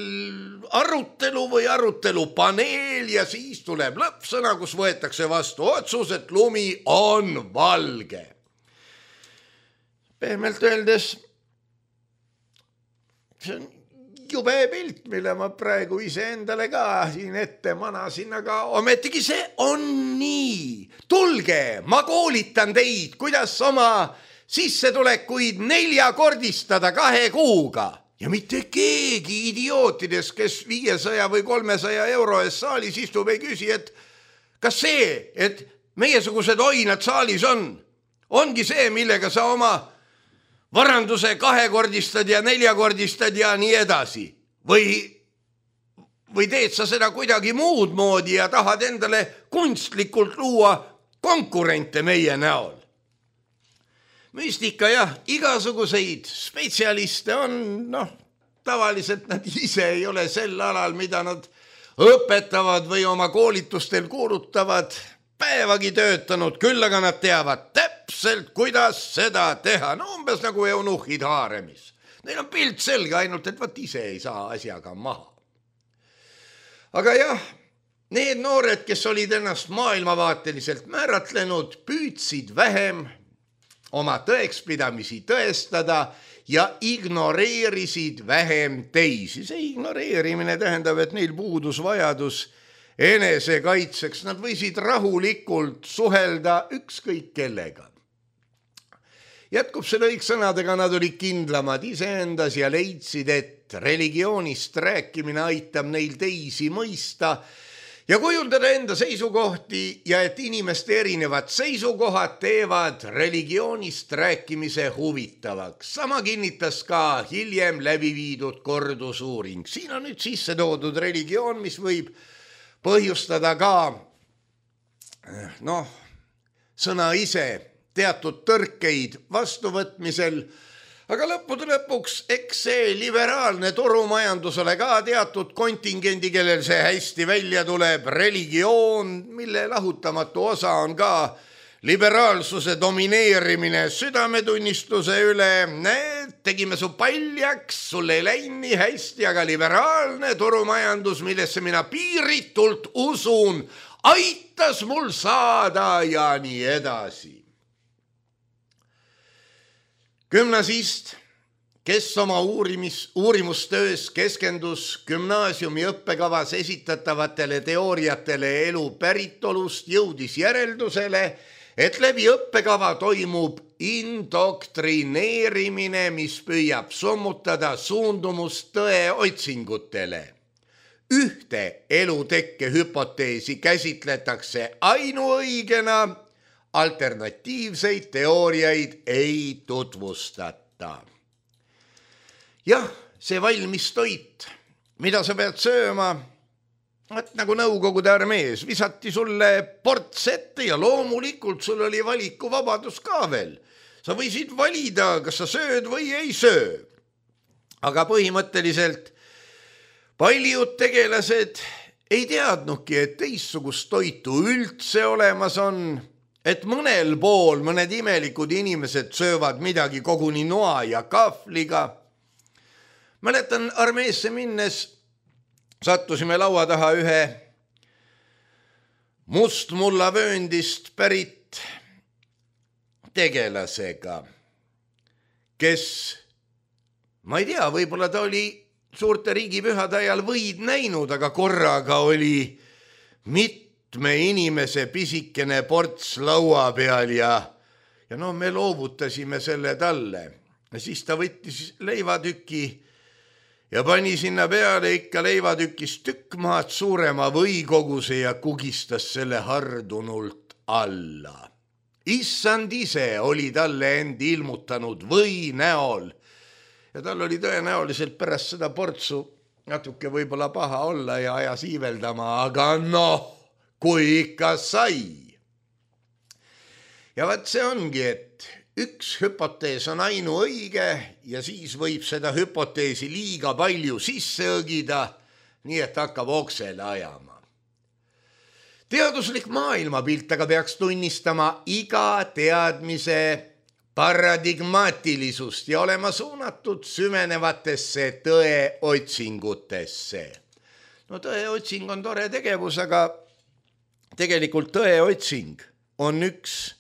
arutelupaneel ja siis tuleb lõppsõna, kus võetakse vastu otsus, et lumi on valge. Pehmelt öeldes, see on jube pilt, mille ma praegu iseendale ka siin ette manasin, aga ometigi see on nii. Tulge, ma koolitan teid, kuidas oma sissetulekuid 4-kordistada 2 kuuga. Ja mitte keegi idiootidest, kes 500 või 300 euro eest saalis istub, ei küsi, et kas see, et meiesugused oinad saalis ongi see, millega sa oma varanduse 2-kordistad ja 4-kordistad ja nii edasi. Või teed sa seda kuidagi muud moodi ja tahad endale kunstlikult luua konkurente meie näol. Müstika jah, igasuguseid spetsialiste on, tavaliselt nad ise ei ole sel alal, mida nad õpetavad või oma koolitustel kuulutavad, päevagi töötanud, küll aga nad teavad täpselt, kuidas seda teha. Umbes nagu eunuhid haaremis. Neil on pilt selge, ainult et vaat ise ei saa asjaga maha. Aga jah, need noored, kes olid ennast maailmavaateliselt määratlenud, püüdsid vähem oma tõekspidamisi tõestada ja ignoreerisid vähem teisi. See ignoreerimine tähendab, et neil puudus vajadus enesekaitseks, nad võisid rahulikult suhelda ükskõik kellega. Jätkub see lõiksõnadega, nad olid kindlamad iseendas ja leidsid, et religioonist rääkimine aitab neil teisi mõista ja kujundada enda seisukohti ja et inimeste erinevad seisukohad teevad religioonist rääkimise huvitavaks. Sama kinnitas ka hiljem läbi viidud kordusuuring. Siin on nüüd sisse toodud religioon, mis võib põhjustada ka, sõna ise teatud tõrkeid vastuvõtmisel, aga lõppude lõpuks eks see liberaalne turumajandus ole ka teatud kontingendi, kellel see hästi välja tuleb, religioon, mille lahutamatu osa on ka liberaalsuse domineerimine südametunnistuse üle. Tegime su paljaks, sul ei läinud nii hästi, aga liberaalne turumajandus, millesse mina piiritult usun, aitas mul saada ja nii edasi. Gümnasist, kes oma uurimustöös keskendus gümnaasiumi õppekavas esitatavatele teooriatele elu päritolust, jõudis järeldusele, et läbi õppekava toimub indoktrineerimine, mis püüab summutada suundumust tõe otsingutele. Ühte elutekke hüpoteesi käsitletakse ainuõigena, alternatiivseid teooriaid ei tutvustata. Jah, see valmis toit, mida sa pead sööma, Vaat nagu Nõukogude armees, visati sulle ports ette ja loomulikult sul oli valikuvabadus ka veel. Sa võisid valida, kas sa sööd või ei söö. Aga põhimõtteliselt paljud tegelased ei teadnudki, et teistsugust toitu üldse olemas on, et mõnel pool mõned imelikud inimesed söövad midagi koguni noa ja kahvliga. Mäletan, armeesse minnes sattusime laua taha ühe mustmullavööndist pärit tegelasega, kes, ma ei tea, võib-olla ta oli suurte riigipühade ajal võid näinud, aga korraga oli mitme inimese pisikene ports laua peal ja no me loovutasime selle talle. Ja siis ta võttis leivatüki ja pani sinna peale ikka leivatükist tükk maad suurema võikoguse ja kugistas selle hardunult alla. Issand ise oli talle end ilmutanud või näol ja tal oli tõenäoliselt pärast seda portsu natuke võib-olla paha olla ja ajas iiveldama, aga noh, kui ikka sai. Ja vaat see ongi, et üks hüpotees on ainuõige ja siis võib seda hüpoteesi liiga palju sisse õgida, nii et hakkab oksele ajama. Teaduslik maailmapilt aga peaks tunnistama iga teadmise paradigmaatilisust ja olema suunatud süvenevatesse tõeotsingutesse. No tõeotsing on tore tegevus, aga tegelikult tõeotsing on üks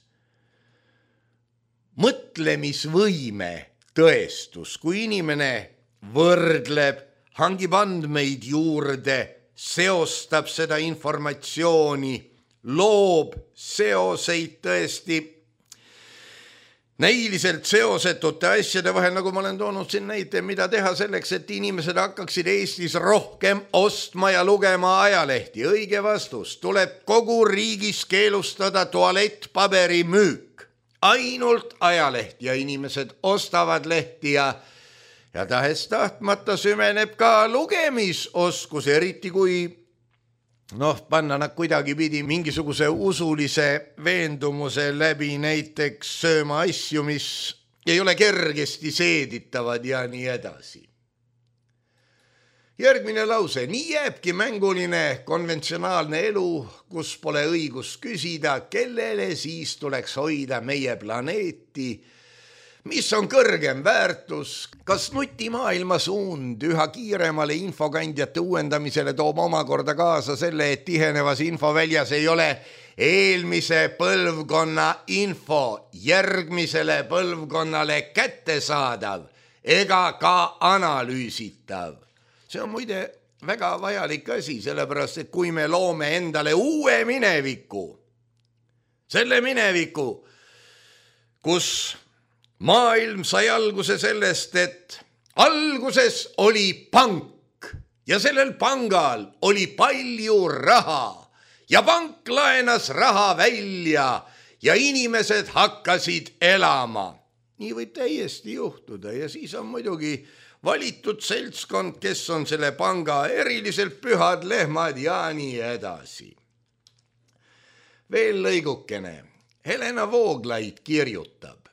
mõtlemisvõime tõestus, kui inimene võrdleb, hangib andmeid juurde, seostab seda informatsiooni, loob seoseid tõesti näiliselt seosetute asjade vahel, nagu ma olen toonud siin näite, mida teha selleks, et inimesed hakkaksid Eestis rohkem ostma ja lugema ajalehti. Õige vastus, tuleb kogu riigis keelustada tualettpaberi müük. Ainult ajalehti ja inimesed ostavad lehti ja tahes tahtmata süveneb ka lugemisoskus, eriti kui panna nad kuidagi pidi mingisuguse usulise veendumuse läbi näiteks sööma asju, mis ei ole kergesti seeditavad ja nii edasi. Järgmine lause, nii jääbki mänguline konventsionaalne elu, kus pole õigus küsida, kellele siis tuleks hoida meie planeeti, mis on kõrgem väärtus, kas nutimaailma suund üha kiiremale infokandjate uuendamisele toob omakorda kaasa selle, et tihenevas infoväljas ei ole eelmise põlvkonna info järgmisele põlvkonnale kättesaadav ega ka analüüsitav. See on muide väga vajalik asi, sellepärast, et kui me loome endale uue mineviku, selle mineviku, kus maailm sai alguse sellest, et alguses oli pank ja sellel pangal oli palju raha ja pank laenas raha välja ja inimesed hakkasid elama. Nii võib täiesti juhtuda ja siis on muidugi valitud seltskond, kes on selle panga eriliselt pühad lehmad ja nii edasi. Veel lõigukene. Helena Vooglaid kirjutab.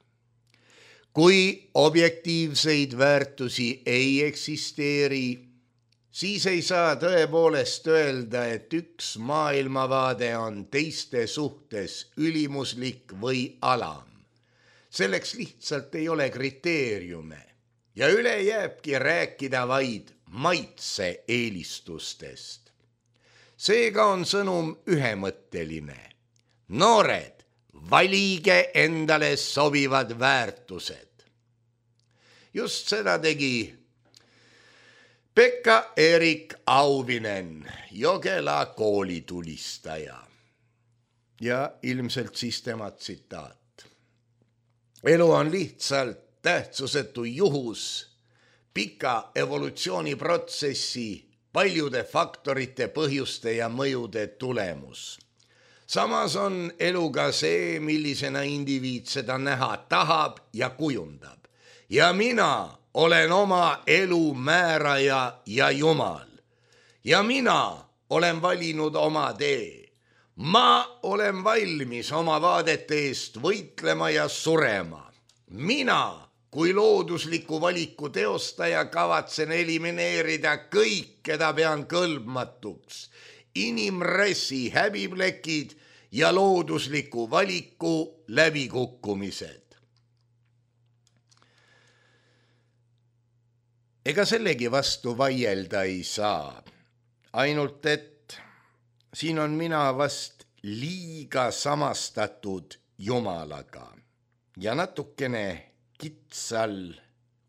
Kui objektiivseid väärtusi ei eksisteeri, siis ei saa tõepoolest öelda, et üks maailmavaade on teiste suhtes ülimuslik või alam. Selleks lihtsalt ei ole kriteeriume ja üle jääbki rääkida vaid maitse eelistustest. Seega on sõnum ühemõtteline. Noored, valige endale sobivad väärtused. Just seda tegi Pekka-Erik Auvinen, Jogela koolitulistaja. Ja ilmselt siis tema tsitaat. Elu on lihtsalt tähtsusetu juhus, pika evolutsiooniprotsessi, paljude faktorite, põhjuste ja mõjude tulemus. Samas on elu ka see, millisena indiviid seda näha tahab ja kujundab. Ja mina olen oma elu määraja ja Jumal. Ja mina olen valinud oma tee. Ma olen valmis oma vaadete eest võitlema ja surema. Mina kui loodusliku valiku teostaja kavatsen elimineerida kõik, keda pean kõlbmatuks, inimressi häbiplekid ja loodusliku valiku läbikukkumised. Ega sellegi vastu vaielda ei saa, ainult et siin on mina vast liiga samastatud Jumalaga ja natukene kitsal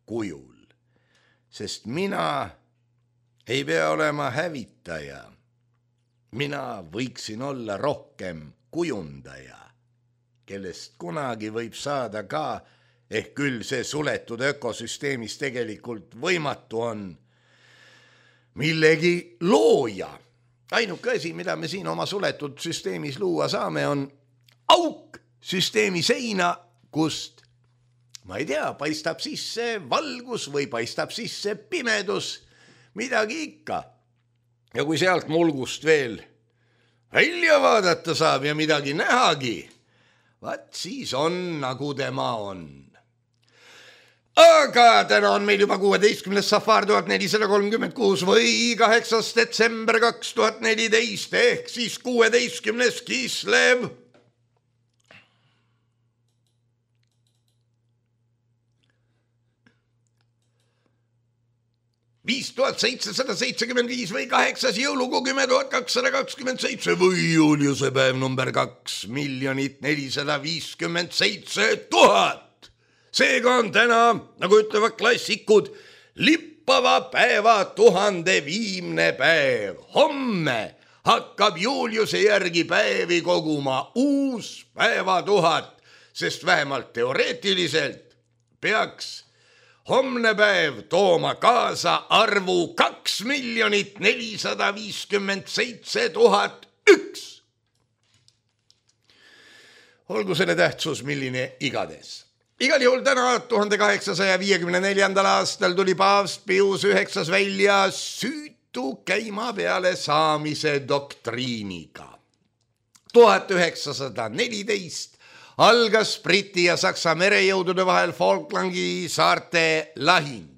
kujul, sest mina ei pea olema hävitaja. Mina võiksin olla rohkem kujundaja, kellest kunagi võib saada ka, ehk küll see suletud ökosüsteemis tegelikult võimatu on, millegi looja. Ainuke asi, mida me siin oma suletud süsteemis luua saame, on auk süsteemi seina, kust ma ei tea, paistab sisse valgus või paistab sisse pimedus, midagi ikka. Ja kui sealt mulgust veel välja vaadata saab ja midagi nähagi, vaat siis on, nagu tema on. Aga täna on meil juba 16. safar 1436 või 8. detsember 2014 ehk siis 16. Kislev. 5775 või 8. jõulukuu 10.227 või Juliuse päev number 2 457 000. Seega on täna, nagu ütlevad klassikud, lippava päeva 1000 viimne päev. Homme hakkab Juliuse järgi päevi koguma uus päeva 1000, sest vähemalt teoreetiliselt peaks homne päev tooma kaasa arvu 2 457 001. Olgu selle tähtsus milline igades. Igal juhul täna 1854. aastal tuli paavst Pius IX välja süütu käima peale saamise doktriiniga. 1914 algas Briti ja Saksa merejõudude vahel Falklandi saarte lahing.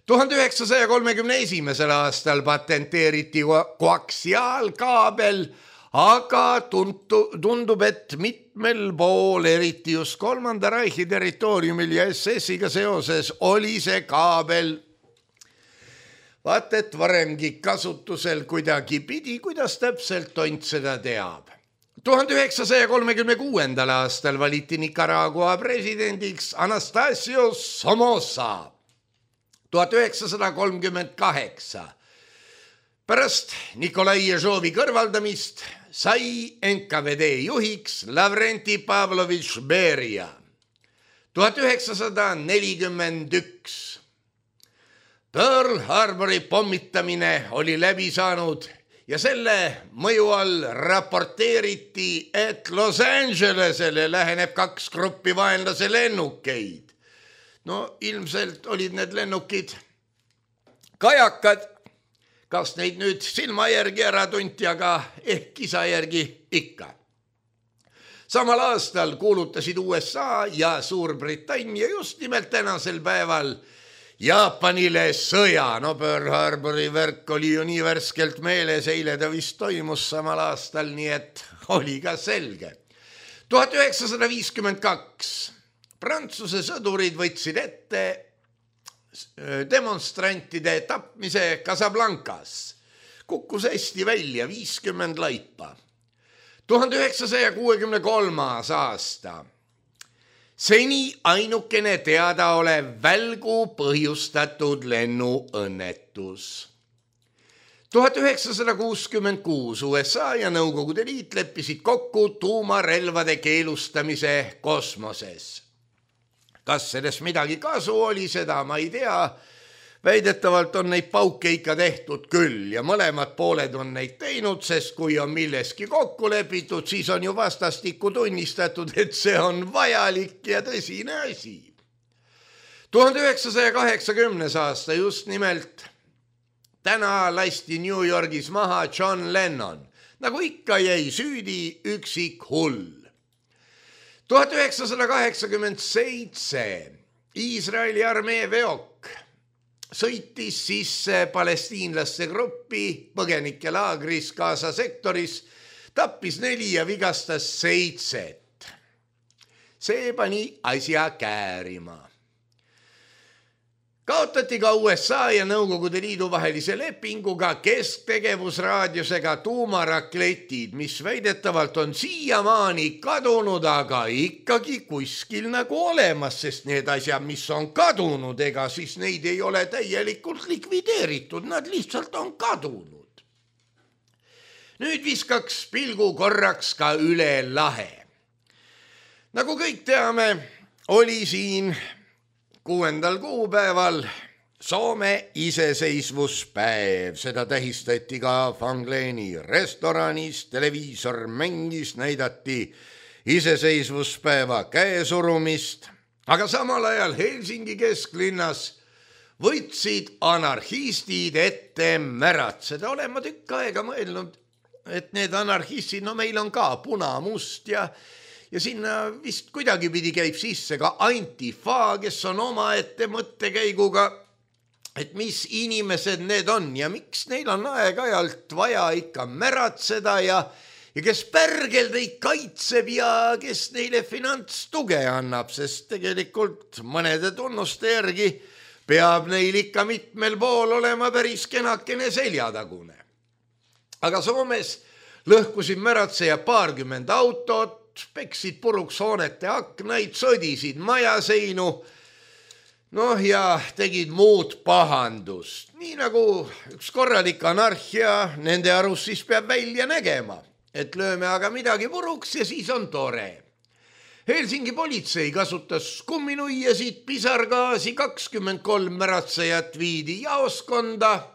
1931. aastal patenteeriti koaksiaalkaabel, aga tundub, et mitmel pool, eriti just Kolmanda Reichi territooriumil ja SS-iga seoses, oli see kaabel vaat et varemgi kasutusel kuidagi pidi, kuidas täpselt tont seda teab. 1936. aastal valiti Nicaragua presidendiks Anastasio Somoza. 1938. Pärast Nikolai Ježovi kõrvaldamist sai NKVD juhiks Lavrenti Pavlovitš Beria. 1941. Pearl Harbori pommitamine oli läbi saanud ja selle mõju all raporteeriti, et Los Angelesele läheneb 2 gruppi vaenlase lennukeid. No ilmselt olid need lennukid kajakad, kas neid nüüd silma järgi ära tunti, aga ehk kisa järgi ikka. Samal aastal kuulutasid USA ja Suurbritannia just nimelt tänasel päeval Jaapanile sõja. No Pearl Harbori värk oli ju nii värskelt meeles, eile ta vist toimus samal aastal, nii et oli ka selge. 1952. Prantsuse sõdurid võtsid ette demonstrantide tapmise Casablancas. Kukkus hästi välja, 50 laipa. 1963. aasta. Seni ainukene teadaolev välgu põhjustatud lennuõnnetus. 1966 USA ja Nõukogude Liit leppisid kokku tuumarelvade keelustamise kosmoses. Kas sellest midagi kasu oli, seda ma ei tea. Väidetavalt on neid pauke ikka tehtud küll ja mõlemad pooled on neid teinud, sest kui on milleski kokku lepitud, siis on ju vastastikku tunnistatud, et see on vajalik ja tõsine asi. 1980. aasta just nimelt täna lasti New Yorgis maha John Lennon. Nagu ikka jäi süüdi üksik hull. 1987 Iisraeli armee veok sõitis sisse palestiinlaste gruppi põgenikelaagris Gaza sektoris, tappis 4 ja vigastas 7. See pani asja käärima. Kaotati ka USA ja Nõukogude Liidu vahelise lepinguga kesktegevusraadiusega tuumarakletid, mis väidetavalt on siiamaani kadunud, aga ikkagi kuskil nagu olemas, sest need asjad, mis on kadunud, ega siis neid ei ole täielikult likvideeritud, nad lihtsalt on kadunud. Nüüd viskaks pilgu korraks ka üle lahe. Nagu kõik teame, oli siin 6. kuupäeval Soome iseseisvuspäev. Seda tähistati ka Fangleeni restoranis, televiisor mängis, näidati iseseisvuspäeva käesurumist, aga samal ajal Helsingi kesklinnas võtsid anarhistid ette märatseda. Olen ma tükk aega mõelnud, et need anarhistid, no meil on ka puna-must ja sinna vist kuidagi pidi käib sisse ka Antifa, kes on omaette mõttekäiguga, et mis inimesed need on ja miks neil on aeg-ajalt vaja ikka märatseda ja kes pärgel neid kaitseb ja kes neile finantstuge annab, sest tegelikult mõnede tunnuste järgi peab neil ikka mitmel pool olema päris kenakene seljatagune. Aga Soomes lõhkusid märatseja 20 autot, peksid puruks hoonete aknaid, sõdisid majaseinu, ja tegid muud pahandust. Nii nagu üks korralik anarhia nende arust siis peab välja nägema, et lööme aga midagi puruks ja siis on tore. Helsingi politsei kasutas kumminuiasid, pisargaasi, 23 märatsejat viidi jaoskonda.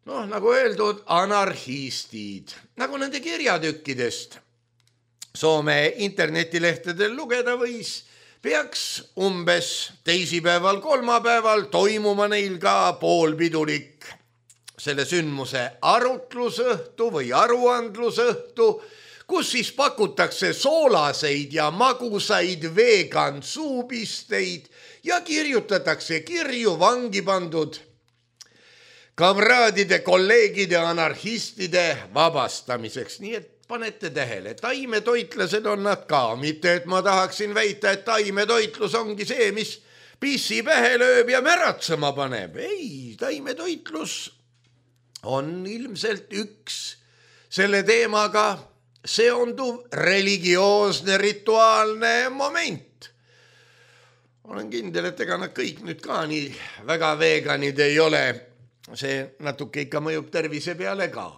Nagu öeldud, anarhistid, nagu nende kirjatükkidest Soome internetilehtedel lugeda võis, peaks umbes teisipäeval, kolmapäeval toimuma neil ka poolpidulik selle sündmuse arutlusõhtu või aruandlusõhtu, kus siis pakutakse soolaseid ja magusaid vegan suupisteid ja kirjutatakse kirju vangi pandud kamraadide, kolleegide, anarhistide vabastamiseks. Nii et panete tähele, taimetoitlased on nad ka, mitte et ma tahaksin väita, et taimetoitlus ongi see, mis pissi pähe lööb ja märatsema paneb. Ei, taimetoitlus on ilmselt üks selle teemaga seonduv religioosne rituaalne moment. Olen kindel, et ega nad kõik nüüd ka nii väga veganid ei ole. See natuke ikka mõjub tervise peale ka.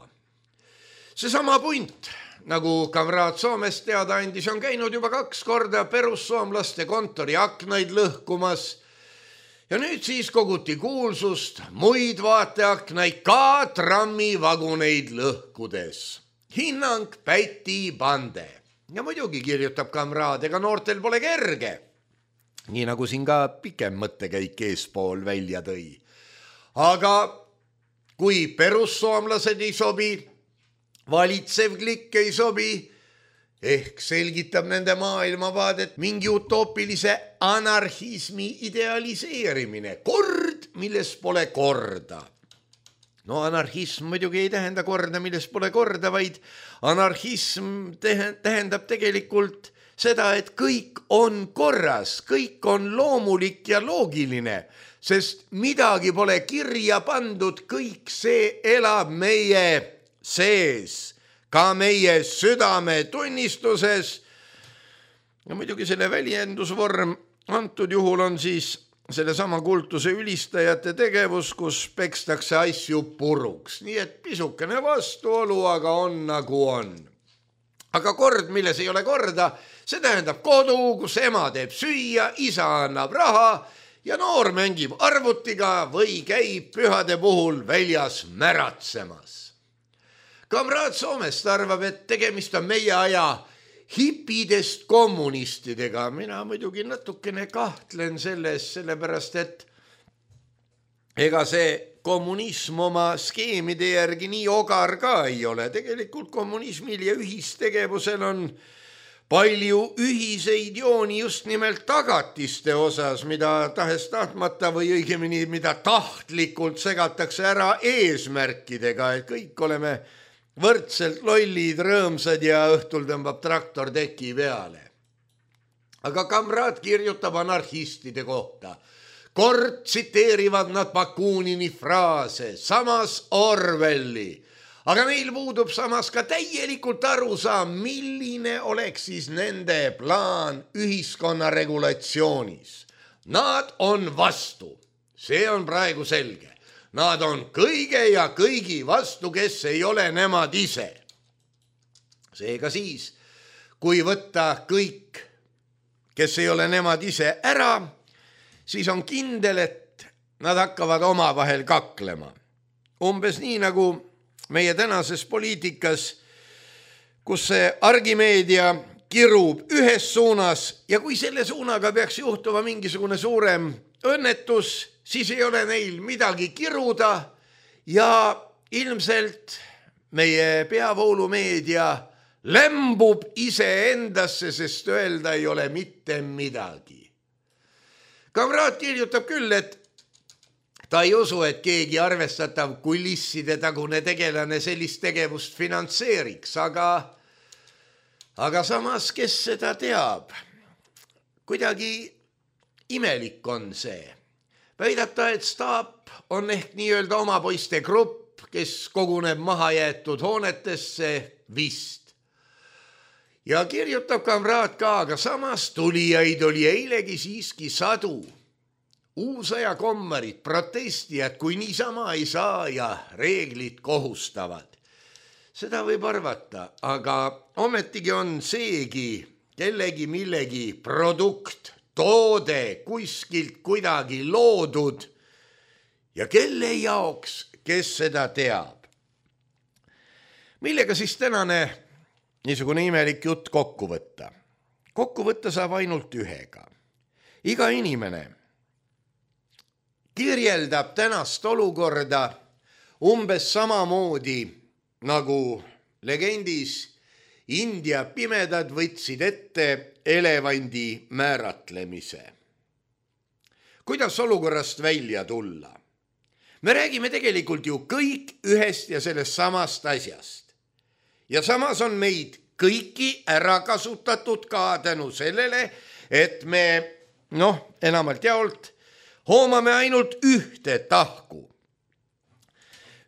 Seesama punt, nagu kamraad Soomest teada andis, on käinud juba 2 korda perussoomlaste kontori aknaid lõhkumas ja nüüd siis koguti kuulsust muid vaateaknaid ka trammivaguneid lõhkudes. Hinnang Päti Pande. Ja muidugi kirjutab kamraad, ega noortel pole kerge. Nii nagu siin ka pikem mõttekäik eespool välja tõi. Aga kui perussoomlased ei sobi, valitsev klikk ei sobi, ehk selgitab nende maailmavaadet mingi utoopilise anarhismi idealiseerimine. Kord, milles pole korda. Anarhism muidugi ei tähenda korda, milles pole korda, vaid anarhism tähendab tegelikult seda, et kõik on korras, kõik on loomulik ja loogiline, sest midagi pole kirja pandud, kõik see elab meie sees, ka meie südame tunnistuses. Ja muidugi selle väljendusvorm antud juhul on siis selle sama kultuse ülistajate tegevus, kus pekstakse asju puruks. Nii et pisukene vastuolu, aga on nagu on. Aga kord, milles ei ole korda, see tähendab kodu, kus ema teeb süüa, isa annab raha ja noor mängib arvutiga või käib pühade puhul väljas märatsemas. Kamraad Soomest arvab, et tegemist on meie aja hipidest kommunistidega. Mina muidugi natukene kahtlen selles, sellepärast et ega see kommunism oma skeemide järgi nii ogar ka ei ole. Tegelikult kommunismil ja ühistegevusel on palju ühiseid jooni just nimelt tagatiste osas, mida tahes tahtmata või õigemini, mida tahtlikult segatakse ära eesmärkidega, et kõik oleme võrdselt lollid, rõõmsad ja õhtul tõmbab traktor teki peale. Aga kamraad kirjutab anarhistide kohta. Kord tsiteerivad nad Bakunini fraase, samas Orwelli. Aga neil puudub samas ka täielikult arusaam, milline oleks siis nende plaan ühiskonna regulatsioonis. Nad on vastu. See on praegu selge. Nad on kõige ja kõigi vastu, kes ei ole nemad ise. Seega siis, kui võtta kõik, kes ei ole nemad ise ära, siis on kindel, et nad hakkavad omavahel kaklema. Umbes nii nagu meie tänases poliitikas, kus see argimeedia kirub ühes suunas ja kui selle suunaga peaks juhtuma mingisugune suurem õnnetus, siis ei ole neil midagi kiruda ja ilmselt meie peavoolumeedia lämbub iseendasse, sest öelda ei ole mitte midagi. Kamraad kirjutab küll, et ta ei usu, et keegi arvestatav kulisside tagune tegelane sellist tegevust finantseeriks, aga samas, kes seda teab? Kuidagi imelik on see. Väidata, et staap on ehk nii-öelda oma poiste grupp, kes koguneb mahajäetud hoonetesse vist. Ja kirjutab kamraad ka, aga samas tulijaid oli eilegi siiski sadu. Uusaja kommarid, protestijad, kui niisama ei saa ja reeglid kohustavad. Seda võib arvata, aga ometigi on seegi kellegi millegi produkt, toode kuskilt kuidagi loodud ja kelle jaoks, kes seda teab. Millega siis tänane niisugune imelik jutt kokku võtta? Kokku võtta saab ainult ühega. Iga inimene kirjeldab tänast olukorda umbes samamoodi, nagu legendis India pimedad võtsid ette elevandi määratlemise. Kuidas olukorrast välja tulla? Me räägime tegelikult ju kõik ühest ja sellest samast asjast. Ja samas on meid kõiki ära kasutatud ka tänu sellele, et me, enamalt jaolt, hoomame ainult ühte tahku.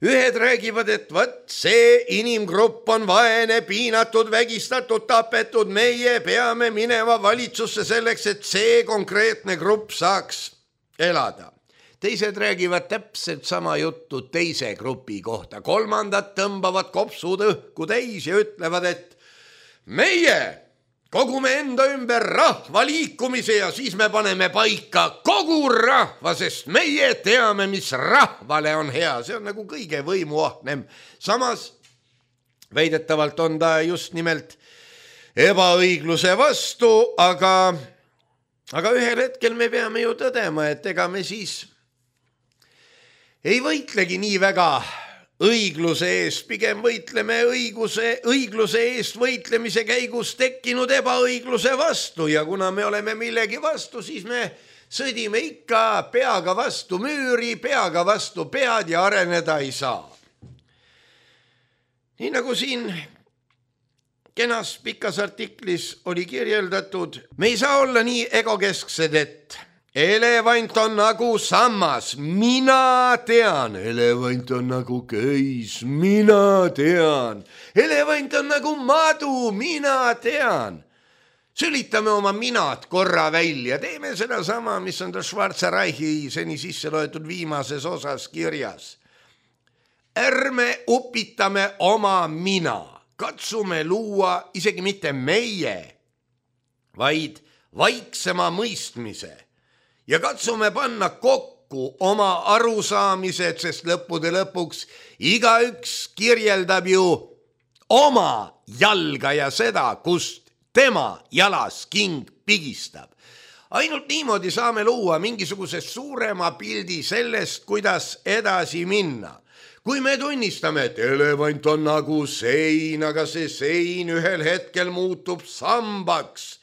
Ühed räägivad, et see inimgrupp on vaene, piinatud, vägistatud, tapetud, meie peame minema valitsusse selleks, et see konkreetne grupp saaks elada. Teised räägivad täpselt sama juttu teise grupi kohta. Kolmandad tõmbavad kopsud õhku täis ja ütlevad, et meie kogume enda ümber rahva liikumise ja siis me paneme paika kogu rahva, sest meie teame, mis rahvale on hea. See on nagu kõige võimuahnem. Samas väidetavalt on ta just nimelt ebaõigluse vastu, aga ühel hetkel me peame ju tõdema, et ega me siis ei võitlegi nii väga õigluse eest, pigem võitleme õigluse eest võitlemise käigus tekkinud ebaõigluse vastu ja kuna me oleme millegi vastu, siis me sõdime ikka peaga vastu müüri, peaga vastu pead ja areneda ei saa. Nii nagu siin kenas pikas artiklis oli kirjeldatud, me ei saa olla nii egokesksed, et elevant on nagu sammas, mina tean, elevant on nagu köis, mina tean, elevant on nagu madu, mina tean. Sülitame oma minad korra välja, teeme seda sama, mis on Schwarze Reichi seni sisse loetud viimases osas kirjas. Ärme upitame oma mina, katsume luua isegi mitte meie, vaid vaiksema mõistmise. Ja katsume panna kokku oma arusaamised, sest lõppude lõpuks igaüks kirjeldab ju oma jalga ja seda, kust tema jalas king pigistab. ainult niimoodi saame luua mingisuguse suurema pildi sellest, kuidas edasi minna. Kui me tunnistame, et elevant on nagu sein, aga see sein ühel hetkel muutub sambaks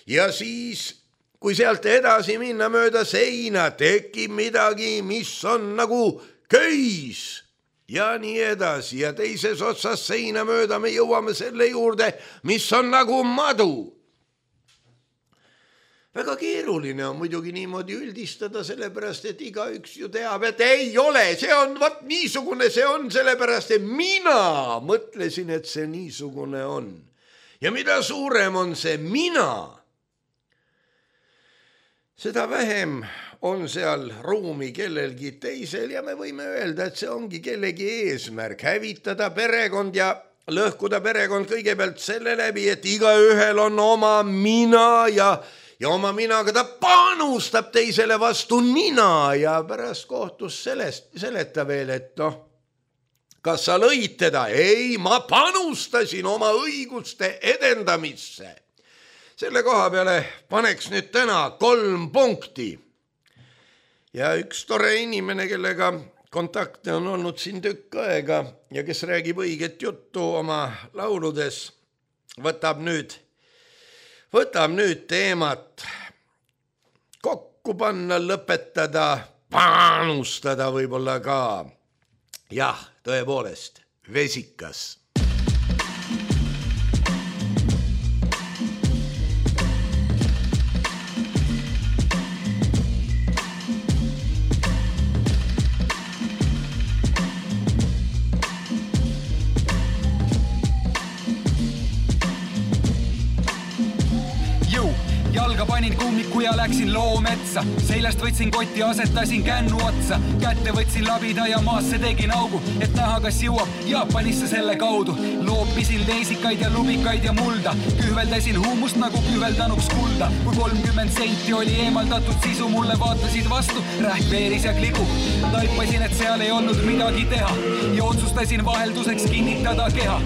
ja siis, kui sealt edasi minna mööda seina, tekib midagi, mis on nagu köis ja nii edasi ja teises otsas seina mööda me jõuame selle juurde, mis on nagu madu. Väga keeruline on muidugi niimoodi üldistada, sellepärast, et igaüks ju teab, et ei ole, see on vat niisugune, see on sellepärast, et mina mõtlesin, et see niisugune on. Ja mida suurem on see mina, seda vähem on seal ruumi kellelgi teisel ja me võime öelda, et see ongi kellegi eesmärk, hävitada perekond ja lõhkuda perekond kõigepealt selle läbi, et igaühel on oma mina ja oma minaga ta panustab teisele vastu nina ja pärast kohtus seleta veel, et kas sa lõid teda? Ei, ma panustasin oma õiguste edendamisse. Selle koha peale paneks nüüd täna 3 punkti. Ja üks tore inimene, kellega kontakte on olnud siin tükk aega ja kes räägib õiget juttu oma lauludes, võtab nüüd teemat kokku panna, lõpetada, panustada võib-olla ka. Jah, tõepoolest, vesikas. Panin kummiku ja läksin loometsa, seljast võtsin kotti, asetasin kännu otsa, kätte võtsin labida ja maasse tegin augu, et näha, kas jõuab Jaapanisse selle kaudu. Loopisin leisikaid ja lubikaid ja mulda, kühveldasin huumust nagu kühveldanuks kulda. Kui 30 senti oli eemaldatud sisu, mulle vaatasid vastu, rähk veeris ja kligu. Taipasin, et seal ei olnud midagi teha ja otsustasin vahelduseks kinnitada keha.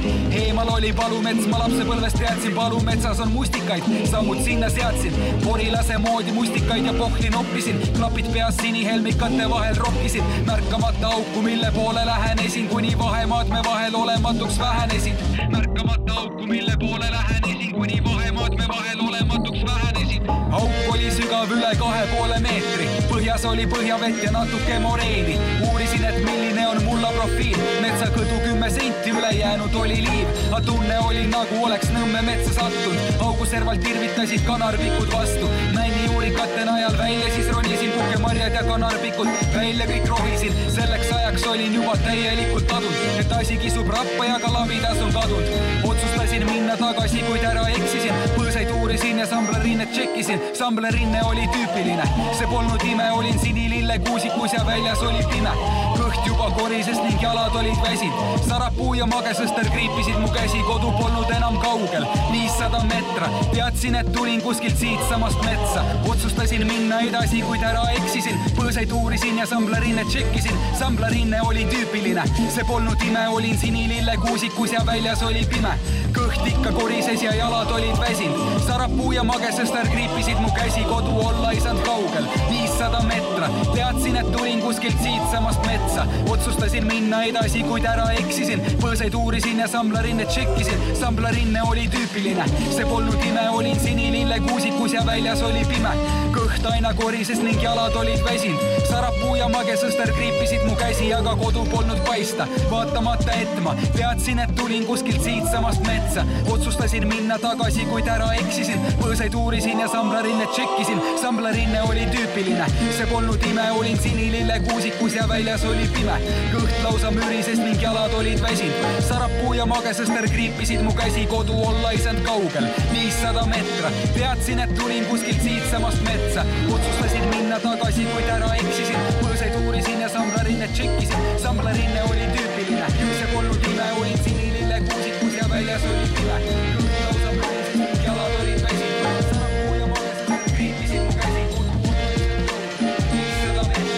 Eemal oli palumets, ma lapsepõlvest teadsin, palumetsas on mustikaid, sammud sinna seadsin. Porilase moodi mustikaid ja pohli noppisin, klapid peas sinihelmikate vahel rokkisin, märkamata auku, mille poole lähenesin, kuni vahemaad me vahel olematuks vähenesid. Märkamata auku, mille poole lähenesin, kuni vahemaad me vahel olematuks vähenesid. Auk oli sügav üle 2,5 meetri, põhjas oli põhjavett ja natuke moreeni. Uurisin, et milline on mulla profiil, metsakõdu 10 senti, ülejäänud oli liiv. A tunne oli nagu oleks Nõmme metsa sattunud, augu servalt tirvitasid kanarpikud vastu. Nänni juurikate najal välja, siis ronisin pukemarjad ja kanarpikud välja kõik rohisin. Selleks ajaks olin juba täielikult adunud, et asi kisub rappa ja ka labidas on kadunud. Otsustasin minna tagasi, kuid ära eksisin, põõsaid uurisin ja samblerinnet tšekkisin. Samblerinne oli tüüpiline, see polnud ime, olin sinilille kuusikus ja väljas oli pime. Kõht juba korises ning jalad olid väsinud, sarapuu ja magesõster kriipisid mu käsi, kodu polnud enam kaugel, 500 metra. Teadsin, et tulin kuskilt siit samast metsa, otsustasin minna edasi, kuid ära eksisin. Põõsaid uurisin ja samblerinnet tšekkisin, samblerinne oli tüüpiline, see polnud ime, olin sinilille kuusikus ja väljas oli pime. Kõht ikka korises ja jalad olid väsinud, sarapuu ja magesõster kriipisid mu käsi, kodu olla ei saanud kaugel, 500 metra. Teadsin, et tulin kuskilt siit samast metsa, otsustasin minna edasi, kuid ära eksisin. Põõsaid uurisin ja samblerinnet tšekkisin, samblerinne oli tüüpiline, see polnud ime, olin sinilille kuusikus ja väljas oli pime. Kõht aina korises ning jalad olid väsinud, sarapuu ja magesõster kriipisid mu käsi, aga kodu polnud paista. Vaatamata etma, teadsin, et tulin kuskilt siit samast metsa, otsustasin minna tagasi, kuid ära eksisin. Põõsaid uurisin ja samblerinnet tšekkisin, samblerinne oli tüüpiline, see polnud ime, olin sinilille kuusikus ja väljas oli pime. Kõht lausa mürises ning jalad olid väsinud, sarapuu ja magesõster kriipisid mu käsi, kodu olla ei saanud kaugel, 500 metra. Teadsin, et tulin kuskilt siit samast metsa, otsustasin minna tagasi, kuid ära eksisin. Põõsaid uurisin ja samblerinnet tšekkisin, samblerinne oli tüüpiline, see polnud ime, olin sinilille kuusikus ja väljas oli pime. Kõht lausa mürises ning jalad olid väsinud, sarapuu ja magesõster kriipisid mu käsi, kodu olla ei saanud kaugel, 500 metra.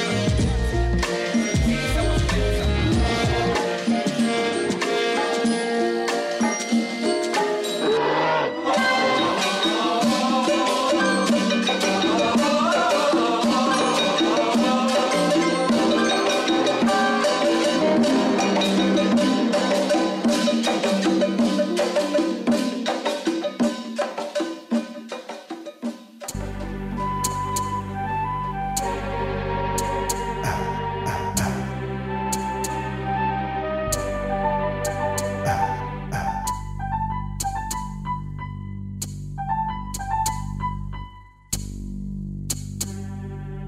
Siit samast metsa.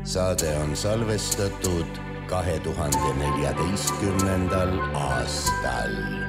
Saade on salvestatud 2014. aastal.